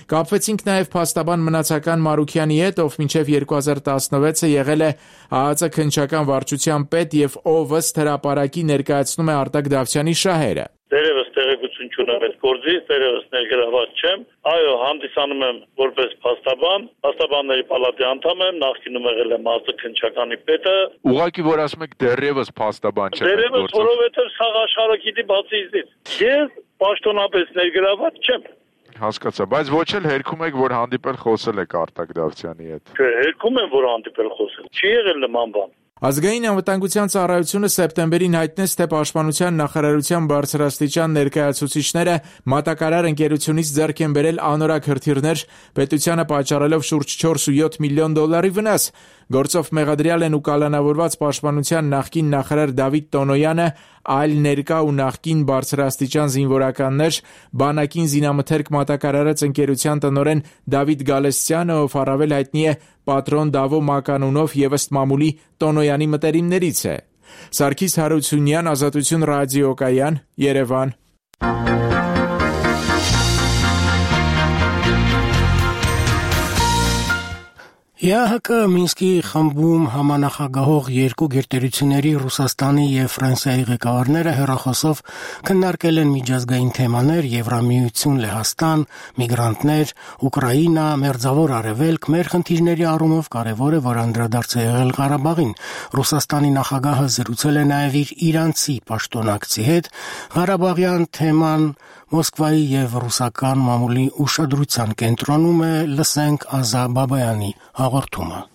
Կապվեցինք նաև փաստաբան Մնացական Մարուքյանի հետ, ով մինչև 2016-ը եղել է ԱԱՑ քննչական վարչության պետ եւ ով ըստ հրապարակի ներկայացնում է Արտակ Դավթյանի շահերը։ Դերևս տեղեկություն չունեմ այդ գործից, դերևս ներգրաված չեմ։ Այո, հանդիսանում եմ որպես փաստաբան, փաստաբանների պալատի անդամ եմ, նախկինում եղել եմ ԱԱՑ քննչականի պետը։ Ուղղակի որ ասում եք դերևս փաստաբան չեմ։ Դերևս, որովհետեւ սաղ աշխարհը գիտի բացի իզից։ Ես պաշտոնապես ներգրաված չեմ։ հասկացա, բայց ոչ էլ հերքում եք, որ հանդիպել խոսել եք Արտակ Դավթյանի հետ։ Չէ, հերքում եմ, որ հանդիպել խոսել։ Չի եղել նման բան։ Ազգային անվտանգության ծառայությունը սեպտեմբերին հայտնեց, թե Պաշտպանության նախարարության բարձրաստիճան ներկայացուցիչները մատակարար ընկերությունից ձեռք են բերել անորակ հրթիռներ, պետությանը պատճառելով շուրջ 4.7 միլիոն դոլարի վնաս։ Գործով մեղադրյալ են ու կալանավորված Պաշտպանության նախկին նախարար Դավիթ Տոնոյանը, այլ ներկա ու նախկին բարձրաստիճան զինվորականներ, բանակին զինամթերք մատակարարած ընկերության տնօրեն Դավիթ Գալստյանը, ով առավել հայտնի է Պատրոն Դավո մականունով եւ ըստ մամուլի Տոնոյանի մտերիմներից է։ Սարգիս Հարությունյան, Ազատություն ռադիոկայան, Երևան։ ԵԱՀԿ Մինսկի խմբում համանախագահող երկու գերտերությունների Ռուսաստանի եւ Ֆրանսիայի ղեկավարները հեռախոսով քննարկել են միջազգային թեմաներ, Եվրամիություն, Լեհաստան, միգրանտներ, Ուկրաինա, Մերձավոր Արևելք, մեր խնդիրների առումով կարևոր է, որ անդրադարձ է եղել Ղարաբաղին։ Ռուսաստանի նախագահը զրուցել է նաեւ իր իրանցի պաշտոնակցի հետ, Ղարաբաղյան թեման Մոսկվայի եւ ռուսական մամուլի ուշադրության կենտրոնում է, լսենք Ազա Բաբայանի հաղորդումը։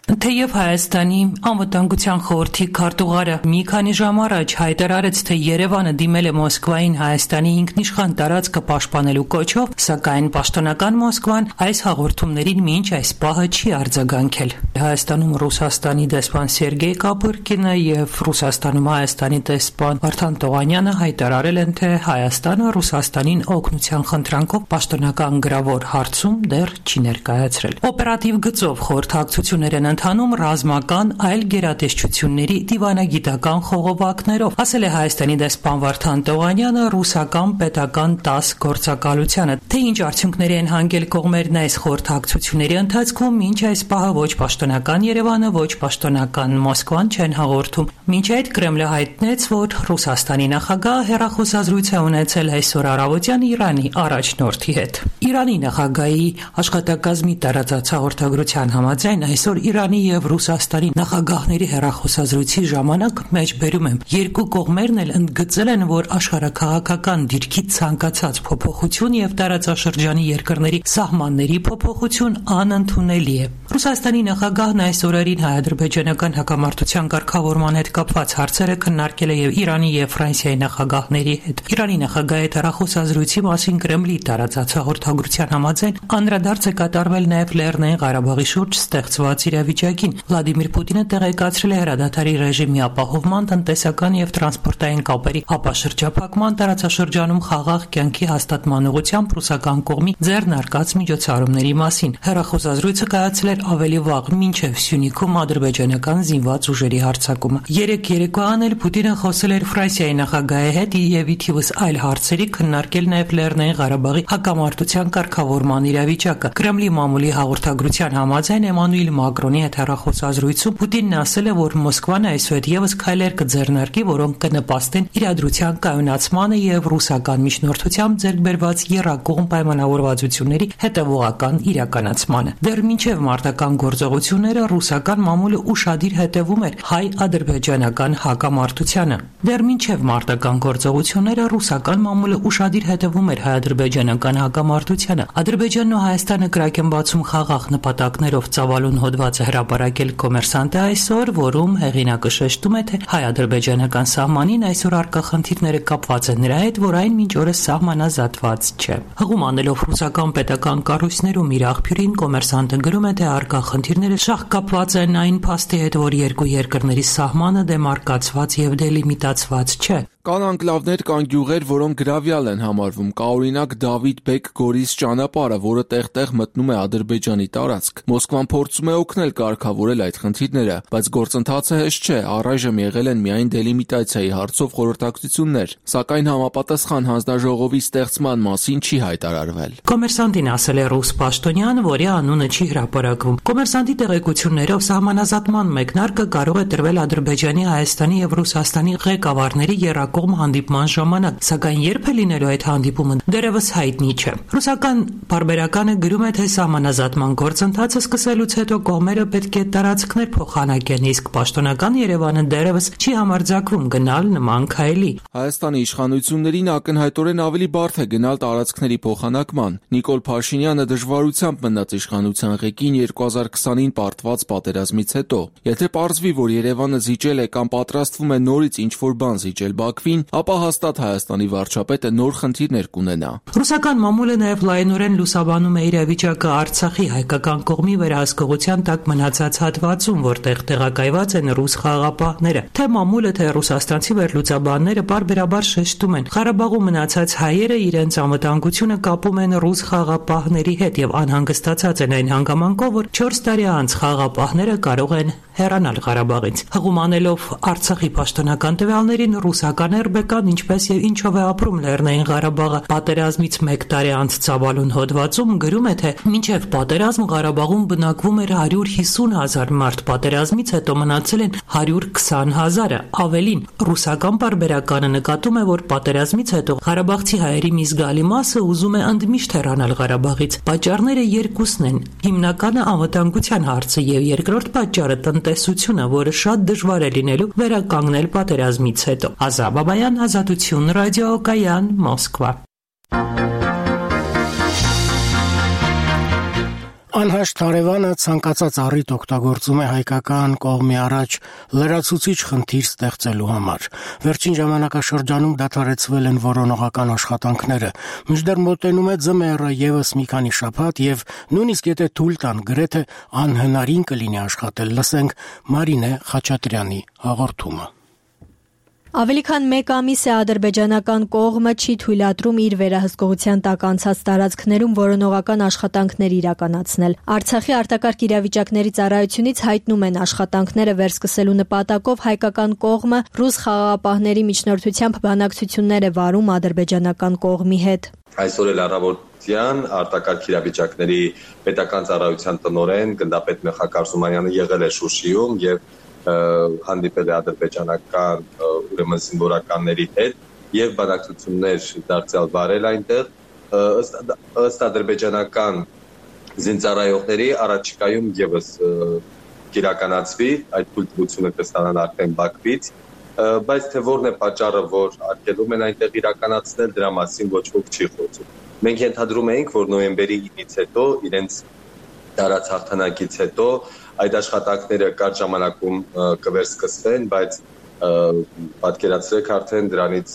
Թեև Հայաստանի անվտանգության խորհրդի քարտուղարը մի քանի ժամ առաջ հայտարարեց, թե Երևանը դիմել է Մոսկվային Հայաստանի ինքնիշխան տարածքը պաշտպանելու կոչով, սակայն պաշտոնական Մոսկվան այս հաղորդումներին մինչ այս պահը չի արձագանքել։ Հայաստանում Ռուսաստանի դեսպան Սերգեյ Կապուրկինը եւ Ռուսաստանում Հայաստանի դեսպան Վարդան Տողանյանը հայտարարել են, թե Հայաստանը Ռուսաստանին օգնության խնդրանքով պաշտոնական գրավոր հարցում դեռ չի ներկայացրել։ Օպերատիվ գծով խորհրդակցություններ են ընթանում ռազմական այլ գերատեսչությունների դիվանագիտական խողովակներով, ասել է Հայաստանի դեսպան Վարդան Տողանյանը ռուսական պետական 10 գործակալությանը։ Թե ինչ արդյունքների են հանգել կողմերն այս խորհրդակցությունների ընթացքում, մինչ այս պահը ոչ պաշտոնական Երևանը, ոչ պաշտոնական Մոսկվան չեն հաղորդում։ Մինչ այդ Կրեմլը հայտնեց, որ Ռուսաստանի նախագահը հեռախոսազրույց է ունեցել այսօր առավոտյան Իրանի առաջնորդի հետ։ Իրանի նախագահի աշխատակազմի տարածած հաղորդագրության համաձայն այսօր Իրանի եւ Ռուսաստանի նախագահների հեռախոսազրույցի ժամանակ մեջբերում եմ երկու կողմերն էլ ընդգծել են, որ աշխարհաքաղաքական դիրքի ցանկացած փոփոխություն եւ տարածաշրջանի երկրների սահմանների փոփոխություն անընդունելի է։ Ռուսաստանի նախագահն այս օրերին հայ-ադրբեջանական հակամարտության կարգավորման հետ կապված հարցերը քննարկել է եւ Իրանի եւ Ֆրանսիայի նախագահների հետ։ Իրանի նախագահի հեռախոսազրույցի մասին Կրեմլի տարածած հաղորդագրության համաձայն անդրադարձ է կատարվել նաեւ Լեռնային Ղարաբաղի շուրջ ստեղծված իրավիճակին։ Վլադիմիր Պուտինը տեղեկացրել է հրադադարի ռեժիմի ապահովման, տնտեսական եւ տրանսպորտային կապերի ապաշրջափակման, տարածաշրջանում խաղաղ կյանքի հաստատման ուղղությամբ ռուսական կողմի ձեռնարկած միջոցառումների մասին։ Հեռախոսազրույցը կայացել էր ավելի վաղ, մինչև Սյունիքում ադրբեջանական զինված ուժերի հարձակումը։ Երեկոյան էլ Պուտինը խոսել էր Ֆրանսիայի նախագահի հետ եւ ի թիվս այլ հարցերի քննարկել նաեւ Լեռնային Ղարաբաղի հակամարտության կարգավորման իրավիճակը։ Կրեմլի մամուլի հաղորդագրության համաձայն Էմանուել Մակրոնի հետ հեռախոսազրույցում Պուտինն ասել է, որ Մոսկվան այսուհետ եւս քայլեր կձեռնարկի, որոնք կնպաստեն իրադրության կայունացմանը եւ ռուսական միջնորդությամբ ձեռք բերված եռակողմ պայմանավորվածությունների հետեւողական իրականացմանը։ Դեռ մինչեւ մարտական գործողությունները ռուսական մամուլը ուշադիր հետևում էր հայ-ադրբեջանական հակամարտությանը։ Դեռ մինչեւ մարտական գործողությունները ռուսական մամուլը ուշադիր հետևում էր հայ-ադրբեջանական հակամարտությանը։ Ադրբեջանն ու Հայաստանը կրակ են բացում խաղաղ նպատակներով ծավալուն հոդվածը հրապարակել Կոմերսանտը այսօր, որում հեղինակը շեշտում է, թե հայ-ադրբեջանական սահմանին այսօր առկա խնդիրները կապված են նրա հետ, որ այն մինչ օրս սահմանազատված չէ։ Հղում անելով ռուսական պետական կառույցներում իր աղբյուրին Կոմերսանտը գրում է, թե առկա խնդիրները շահկապված են այն փաստի հետ, որ երկու երկրների սահմանը դեմարկացված եւ դելիմիտացված չէ։ Կան անկլավներ, կան գյուղեր, որոնք գրավյալ են համարվում։ Կա օրինակ Դավիթ Բեկ Գորիս ճանապարհը, որը տեղ-տեղ մտնում է Ադրբեջանի տարածք։ Մոսկվան փորձում է օգնել կարգավորել այդ խնդիրները, բայց գործընթացը հեշտ չէ։ Առայժմ եղել են միայն դելիմիտացիայի հարցով խորհրդակցություններ, սակայն համապատասխան հանձնաժողովի ստեղծման մասին չի հայտարարվել։ Կոմերսանտին ասել է ռուս պաշտոնյան, որի անունը չի հրապարակվում։ Կոմերսանտի տեղեկություններով սահմանազատման մեկնարկը կարող է տրվել Ադրբեջանի, Հայաստանի եւ Ռուսաստանի ղեկավարների կողմ հանդիպման ժամանակ, սակայն երբ է լինելու այդ հանդիպումը դեռևս հայտնի չէ։ Ռուսական պարբերականը գրում է, թե սահմանազատման գործընթացը սկսելուց հետո կողմերը պետք է տարածքներ փոխանակեն, իսկ պաշտոնական Երևանը դեռևս չի համարձակվում գնալ նման քայլի։ Հայաստանի իշխանություններին ակնհայտորեն ավելի բարդ է գնալ տարածքների փոխանակման։ Նիկոլ Փաշինյանը դժվարությամբ մնաց իշխանության ղեկին 2020-ին պարտված պատերազմից հետո։ Եթե պարզվի, որ Երևանը զիջել է կամ պատրաստվում է նորից ինչ-որ բան զիջել Բաքվին, ապա հաստատ Հայաստանի վարչապետը նոր խնդիրներ կունենա։ Ռուսական մամուլը նաև լայնորեն լուսաբանում է իրավիճակը Արցախի հայկական կողմի վերահսկողության տակ մնացած հատվածում, որտեղ տեղակայված են ռուս խաղաղապահները։ Թե մամուլը, թե ռուսաստանցի վերլուծաբանները պարբերաբար շեշտում են, Ղարաբաղում մնացած հայերը իրենց անվտանգությունը կապում են ռուս խաղաղապահների հետ եւ անհանգստացած են այն հանգամանքով, որ 4 տարի անց խաղաղապահները կարող են հեռանալ Ղարաբաղից։ Հղում անելով Արցախի պաշտոնական տվյալներին, ռուսական ՌԲԿ-ն ինչպես եւ ինչով է ապրում Լեռնային Ղարաբաղը պատերազմից 1 տարի անց ծավալուն հոդվածում գրում է, թե մինչև պատերազմ Ղարաբաղում բնակվում էր 150,000 մարդ, պատերազմից հետո մնացել են 120,000-ը, ավելին։ Ռուսական պարբերականը նկատում է, որ պատերազմից հետո ղարաբաղցի հայերի մի զգալի մասը ուզում է ընդմիշտ հեռանալ Ղարաբաղից։ Պատճառները երկուսն են։ Հիմնականը անվտանգության հարցը եւ երկրորդ պատճառը տնտեսությունը, որը շատ դժվար է լինելու վերականգնել պատերազմից հետո։ Ազա Բաբայան, Ազատություն, Ռադիո Կայան, Մոսկվա։ Անհաշտ հարևանը ցանկացած առիթ օգտագործում է հայկական կողմի առաջ լրացուցիչ խնդիր ստեղծելու համար։ Վերջին ժամանակաշրջանում դադարեցվել են որոնողական աշխատանքները, մինչդեռ մոտենում է ձմեռը եւս մի քանի շաբաթ եւ նույնիսկ եթե թույլ տան, գրեթե անհնարին կլինի աշխատել։ Լսենք Մարինե Խաչատրյանի հաղորդումը։ Ավելի քան 1 ամիս է ադրբեջանական կողմը չի թույլատրում իր վերահսկողության տակ անցած տարածքներում որոնողական աշխատանքներ իրականացնել։ Արցախի արտակարգ իրավիճակների ծառայությունից հայտնում են աշխատանքները վերսկսելու նպատակով հայկական կողմը ռուս խաղաղապահների միջնորդությամբ բանակցություններ է վարում ադրբեջանական կողմի հետ։ Այսօր էլ առավոտյան արտակարգ իրավիճակների պետական ծառայության տնօրեն գնդապետ Մեխակ Արզումանյանը եղել է Շուշիում եւ հանդիպել է ադրբեջանական ուրեմն զինվորականների հետ եւ բանակցություններ դարձյալ վարել այնտեղ ըստ ադրբեջանական զինծառայողների առաջիկայում եւս կիրականացվի այդ թույլտվությունը կստանան արդեն Բաքվից, բայց թե որն է պատճառը, որ արգելում են այնտեղ իրականացնել, դրա մասին ոչ ոք չի խոսում։ Մենք ենթադրում էինք, որ նոյեմբերի 9-ից հետո իրենց դարած հաղթանակից հետո այդ աշխատանքները կարճ ժամանակում կվերսկսվեն, բայց պատկերացրեք արդեն դրանից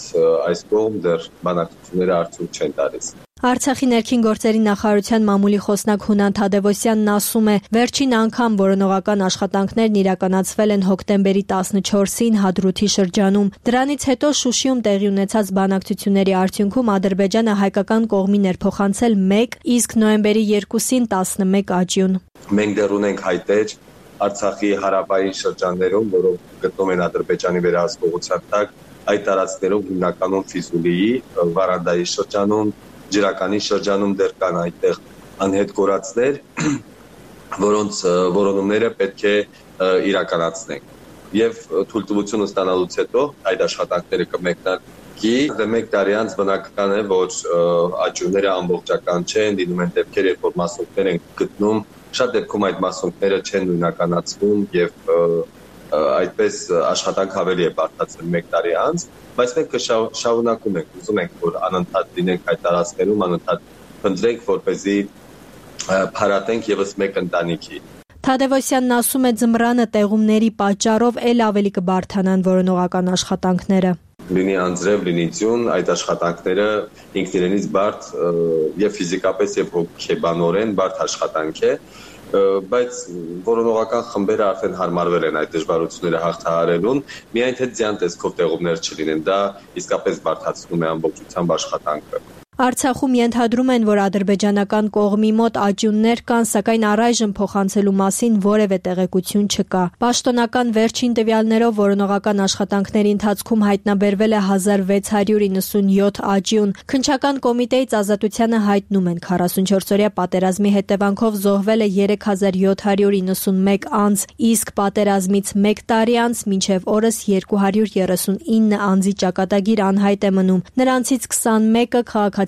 այս կողմ դեռ բանակցությունները արդյունք չեն տալիս։ Արցախի ներքին գործերի նախարարության մամուլի խոսնակ Հունան Թադևոսյանն ասում է, վերջին անգամ որոնողական աշխատանքներն իրականացվել են հոկտեմբերի 14-ին Հադրութի շրջանում։ Դրանից հետո Շուշիում տեղի ունեցած բանակցությունների արդյունքում Ադրբեջանը հայկական կողմին էր փոխանցել 1, իսկ նոյեմբերի 2-ին 11 աճյուն։ Մենք դեռ ունենք հայտեր Արցախի հարավային շրջաններում, որոնք գտնվում են Ադրբեջանի վերահսկողության տակ, այդ տարածքներում հիմնականում Ֆիզուլիի, Վարանդայի շրջանում, Ջրականի շրջանում դեռ կան այդտեղ անհետ կորածներ, որոնց որոնումները պետք է իրականացնենք։ Եվ թույլտվությունը ստանալուց հետո այդ աշխատանքները կմեկնարկի։ 1 տարի անց բնական է, որ աճյունները ամբողջական չեն, լինում են դեպքեր, երբ որ մասունքներ են գտնում, շատ դեպքում այդ մասունքները չեն նույնականացվում եւ այդպես աշխատանք ավելի է բարդացել 1 տարի անց, բայց մենք շարունակում ենք, ուզում ենք, որ անընդհատ լինենք այդ տարածքներում, անընդհատ փնտրենք, որպեսզի փարատենք եւս մեկ ընտանիքի։ Թադևոսյանն ասում է, ձմռանը տեղումների պատճառով էլ ավելի կբարդանան որոնողական աշխատանքները։ Լինի անձրև, լինի ձյուն, այդ աշխատանքները ինքն իրենից բարդ եւ ֆիզիկապես եւ հոգեբանորեն բարդ աշխատանք է, բայց որոնողական խմբերը արդեն հարմարվել են այդ դժվարությունները հաղթահարելուն, միայն թե ձյան տեսքով տեղումներ չլինեն, դա իսկապես բարդացնում է ամբողջությամբ աշխատանքը։ Արցախում ենթադրում են, որ ադրբեջանական կողմի մոտ աճյուններ կան, սակայն առայժմ փոխանցելու մասին որևէ տեղեկություն չկա։ Պաշտոնական վերջին տվյալներով որոնողական աշխատանքների ընթացքում հայտնաբերվել է 1697 աճյուն։ Քննչական կոմիտեից Ազատությանը հայտնում են 44-օրյա պատերազմի հետևանքով զոհվել է 3791 անձ, իսկ պատերազմից 1 տարի անց մինչև օրս 239 անձի ճակատագիր անհայտ է մնում։ Նրանցից 21-ը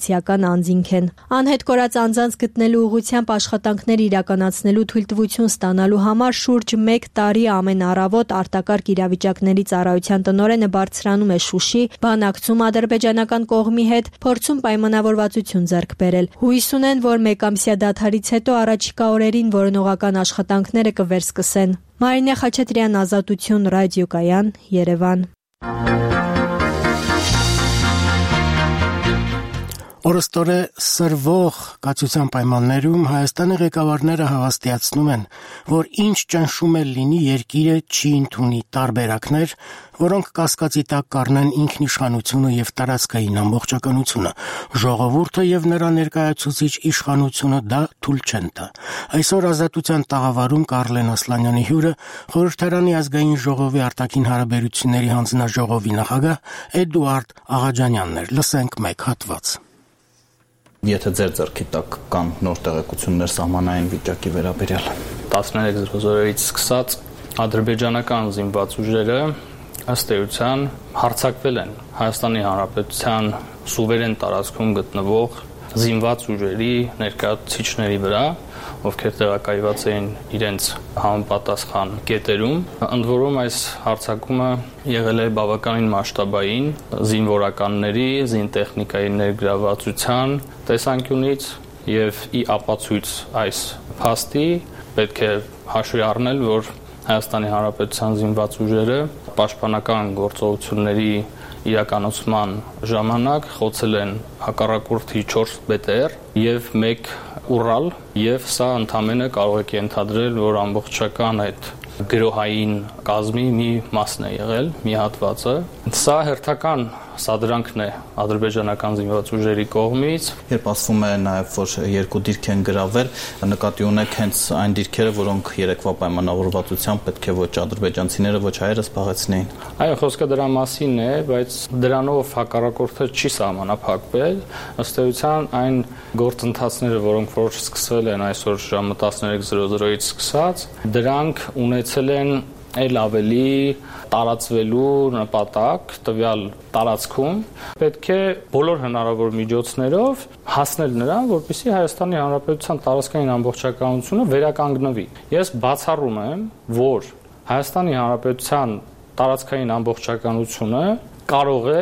քաղաքացիական անձինք են։ Անհետ կորած անձանց գտնելու ուղղությամբ աշխատանքներ իրականացնելու թույլտվություն ստանալու համար շուրջ 1 տարի ամեն առավոտ արտակարգ իրավիճակների ծառայության տնօրենը բարձրանում է Շուշի, բանակցում ադրբեջանական կողմի հետ, փորձում պայմանավորվածություն ձեռք բերել։ Հույս ունեն, որ մեկամսյա դադարից հետո առաջիկա օրերին որոնողական աշխատանքները կվերսկսեն։ Մարինե Խաչատրյան, Ազատություն, ռադիոկայան, Երևան։ Օրստորե սրվող կացության պայմաններում Հայաստանի ղեկավարները հավաստիացնում են, որ ինչ ճնշում էլ լինի, երկիրը չի ընդունի տարբերակներ, որոնք կասկածի տակ կառնեն ինքնիշխանությունը եւ տարածքային ամբողջականությունը։ Ժողովուրդը եւ նրա ներկայացուցիչ իշխանությունը դա թույլ չեն տա։ Այսօր Ազատության տաղավարում Կարլեն Ասլանյանի հյուրը Խորհրդարանի ազգային ժողովի արտաքին հարաբերությունների հանձնաժողովի նախագահ Էդուարդ Աղաջանյանն էր։ Լսենք մեկ հատված։ Եթե ձեր ձեռքի տակ կան նոր տեղեկություններ սահմանային վիճակի վերաբերյալ 13:00-ից սկսած ադրբեջանական զինված ուժերը ըստ էության հարձակվել են Հայաստանի Հանրապետության սուվերեն տարածքում գտնվող զինված ուժերի ներկայացուցիչների վրա, ովքեր տեղակայված էին իրենց համապատասխան կետերում։ Ընդ որում այս հարձակումը եղել է բավականին մասշտաբային զինվորականների, զինտեխնիկայի ներգրավվածության տեսանկյունից եւ ի ապացույց այս փաստի պետք է հաշվի առնել, որ Հայաստանի Հանրապետության զինված ուժերը պաշտպանական գործողությունների իրականացման ժամանակ խոցել են հակառակորդի 4 BTR եւ 1 Ural եւ սա ընդամենը կարող եք ենթադրել, որ ամբողջական այդ գրոհային կազմի մի մասն է եղել, մի հատվածը։ Սա հերթական սադրանքն է ադրբեջանական զինված ուժերի կողմից։ Երբ ասվում է նաև, որ 2 դիրք են գրավել, նկատի ունեք հենց այն դիրքերը, որոնք երեկվա պայմանավորվածությամբ պետք է ոչ ադրբեջանցիները, ոչ հայերը զբաղեցնեին։ Այո, խոսքը դրա մասին է, բայց դրանով հակառակորդը չի սահմանափակվել։ Ըստ էության այն գործընթացները, որոնք որ սկսվել են այսօր ժամը 13:00-ից սկսած, դրանք ունեցել են այլ ավելի տարածվելու նպատակ տվյալ տարածքում պետք է բոլոր հնարավոր միջոցներով հասնել նրան, որպեսզի Հայաստանի Հանրապետության տարածքային ամբողջականությունը վերականգնվի։ Ես բացառում եմ, որ Հայաստանի Հանրապետության տարածքային ամբողջականությունը կարող է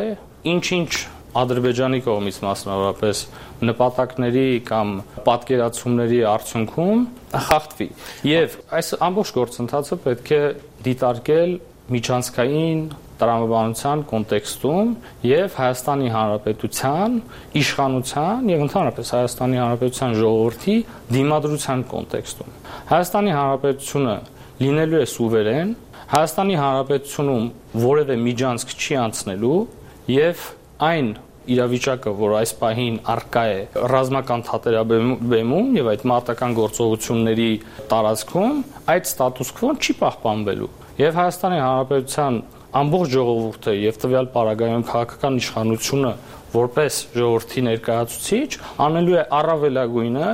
ինչ-ինչ Ադրբեջանի կողմից մասնավորապես նպատակների կամ պատկերացումների արդյունքում խախտվի։ Եվ այս ամբողջ գործընթացը պետք է դիտարկել միջանցքային տրամաբանության կոնտեքստում եւ Հայաստանի Հանրապետության իշխանության եւ ընդհանրապես Հայաստանի Հանրապետության ժողովրդի դիմադրության կոնտեքստում։ Հայաստանի Հանրապետությունը լինելու է սուվերեն, Հայաստանի Հանրապետությունում որևէ միջանցք չի անցնելու եւ այն իրավիճակը, որ այս պահին առկա է ռազմական թատերաբեմում եւ այդ մարտական գործողությունների տարածքում, այդ ստատուս քվոն չի պահպանվելու։ Եվ Հայաստանի Հանրապետության ամբողջ ժողովուրդը եւ տվյալ պարագայում քաղաքական իշխանությունը որպես ժողովրդի ներկայացուցիչ անելու է առավելագույնը,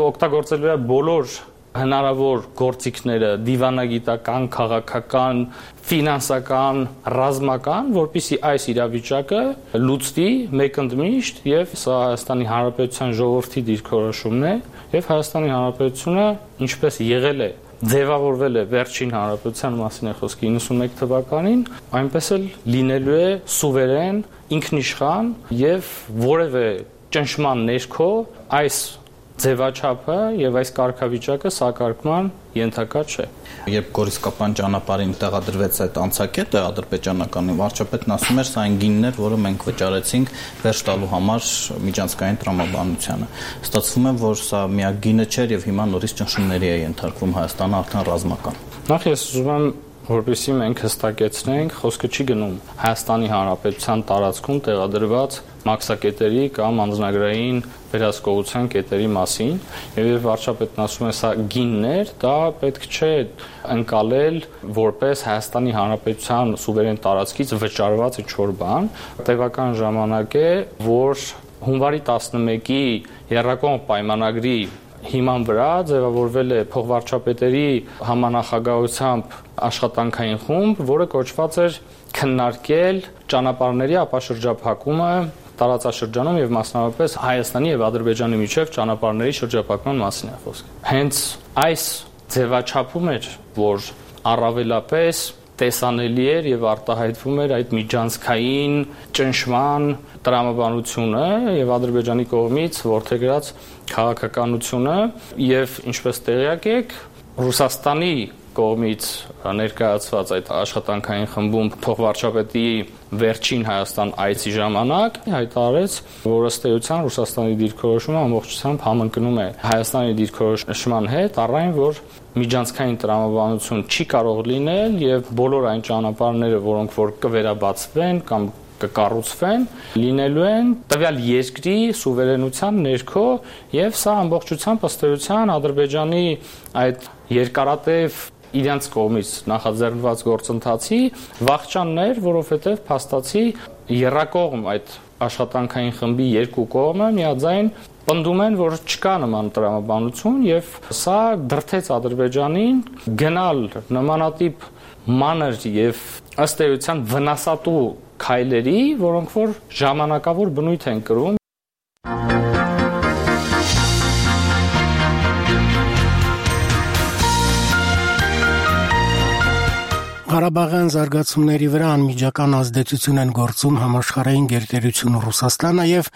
օգտագործելու է բոլոր հնարավոր գործիքները դիվանագիտական, քաղաքական, ֆինանսական, ռազմական, որպեսզի այս իրավիճակը լուծվի մեկընդմիշտ եւ սա Հայաստանի Հանրապետության ժողովրդի դիրքորոշումն է եւ Հայաստանի Հանրապետությունը ինչպես եղել է ձևավորվել է վերջին հանրապետության մասին է խոսքը 91 թվականին, այնպես էլ լինելու է սուվերեն, ինքնիշխան եւ որևէ ճնշման ներքո այս ձևաչափը եւ այս կարգավիճակը սակարկման ենթակա չէ։ Երբ Գորիսկապան ճանապարհին տեղադրվեց այդ անցակետը ադրբեջանականի վարչապետն ասում էր, սա այն գինն էր, որը մենք վճարեցինք վերջ տալու համար միջանցքային տրամաբանությանը։ Ստացվում է, որ սա միակ գինը չէր եւ հիմա նորից ճնշումների է ենթարկվում Հայաստանը արդեն ռազմական։ Նախ ես ուզում եմ որովհետեւ մենք հստակեցնենք, խոսքը չի գնում Հայաստանի Հանրապետության տարածքում տեղադրված մաքսակետերի կամ անձնագրային վերահսկողության կետերի մասին, եւ վարչապետն ասում է սա գիններ, դա պետք չէ ընկալել որպես Հայաստանի Հանրապետության սուվերեն տարածքից վճարված ինչ-որ բան։ Տևական ժամանակ է, որ հունվարի 11-ի Եռակողմ պայմանագրի հիման վրա ձևավորվել է փոխվարչապետերի համանախագահությամբ աշխատանքային խումբ, որը կոչված էր քննարկել ճանապարհների ապաշրջափակումը տարածաշրջանում եւ մասնավորապես Հայաստանի եւ Ադրբեջանի միջև ճանապարհների շրջափակման մասին է խոսքը։ Հենց այս ձևաչափում էր, որ առավելապես տեսանելի էր եւ արտահայտվում էր այդ միջանցքային ճնշման տրամաբանությունը եւ Ադրբեջանի կողմից որդեգրած քաղաքականությունը եւ ինչպես տեղյակ եք Ռուսաստանի կողմից ներկայացված այդ աշխատանքային խմբում փոխվարչապետի վերջին Հայաստան այցի ժամանակ հայտարարեց, որ ըստ էության Ռուսաստանի դիրքորոշումը ամբողջությամբ համընկնում է Հայաստանի դիրքորոշման հետ, առայն որ միջանցքային տրամաբանություն չի կարող լինել եւ բոլոր այն ճանապարհները, որոնք որ կվերաբացվեն կամ կկառուցվեն, լինելու են տվյալ երկրի սուվերենության ներքո եւ սա ամբողջությամբ ըստ էության Ադրբեջանի այդ երկարատև իրենց կողմից նախաձեռնված գործընթացի վախճաններ, որովհետև փաստացի եռակողմ այդ աշխատանքային խմբի երկու կողմը միաձայն պնդում են, որ չկա նման տրամաբանություն եւ սա դրդեց Ադրբեջանին գնալ նմանատիպ մանր եւ ըստ էության վնասատու քայլերի, որոնք որ ժամանակավոր բնույթ են կրում։ Ղարաբաղյան զարգացումների վրա անմիջական ազդեցություն են գործում համաշխարհային գերտերություն Ռուսաստանը եւ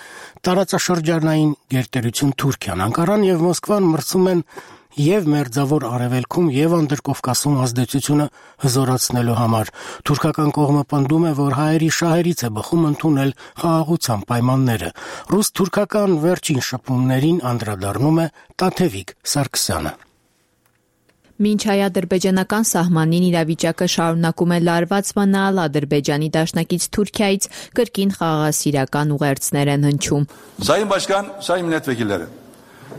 տարածաշրջանային գերտերություն Թուրքիան։ Անկարան եւ Մոսկվան մրցում են եւ Մերձավոր Արևելքում եւ Անդրկովկասում ազդեցությունը հզորացնելու համար։ Թուրքական կողմը պնդում է, որ հայերի շահերից է բխում ընդունել խաղաղության պայմանները։ Ռուս-թուրքական վերջին շփումներին անդրադառնում է Տաթևիկ Սարգսյանը։ Մինչ հայ-ադրբեջանական սահմանին իրավիճակը շարունակում է լարված մնալ, Ադրբեջանի դաշնակից Թուրքիայից կրկին խաղաղասիրական ուղերձներ են հնչում։ Sayın Başkan, sayın milletvekilleri.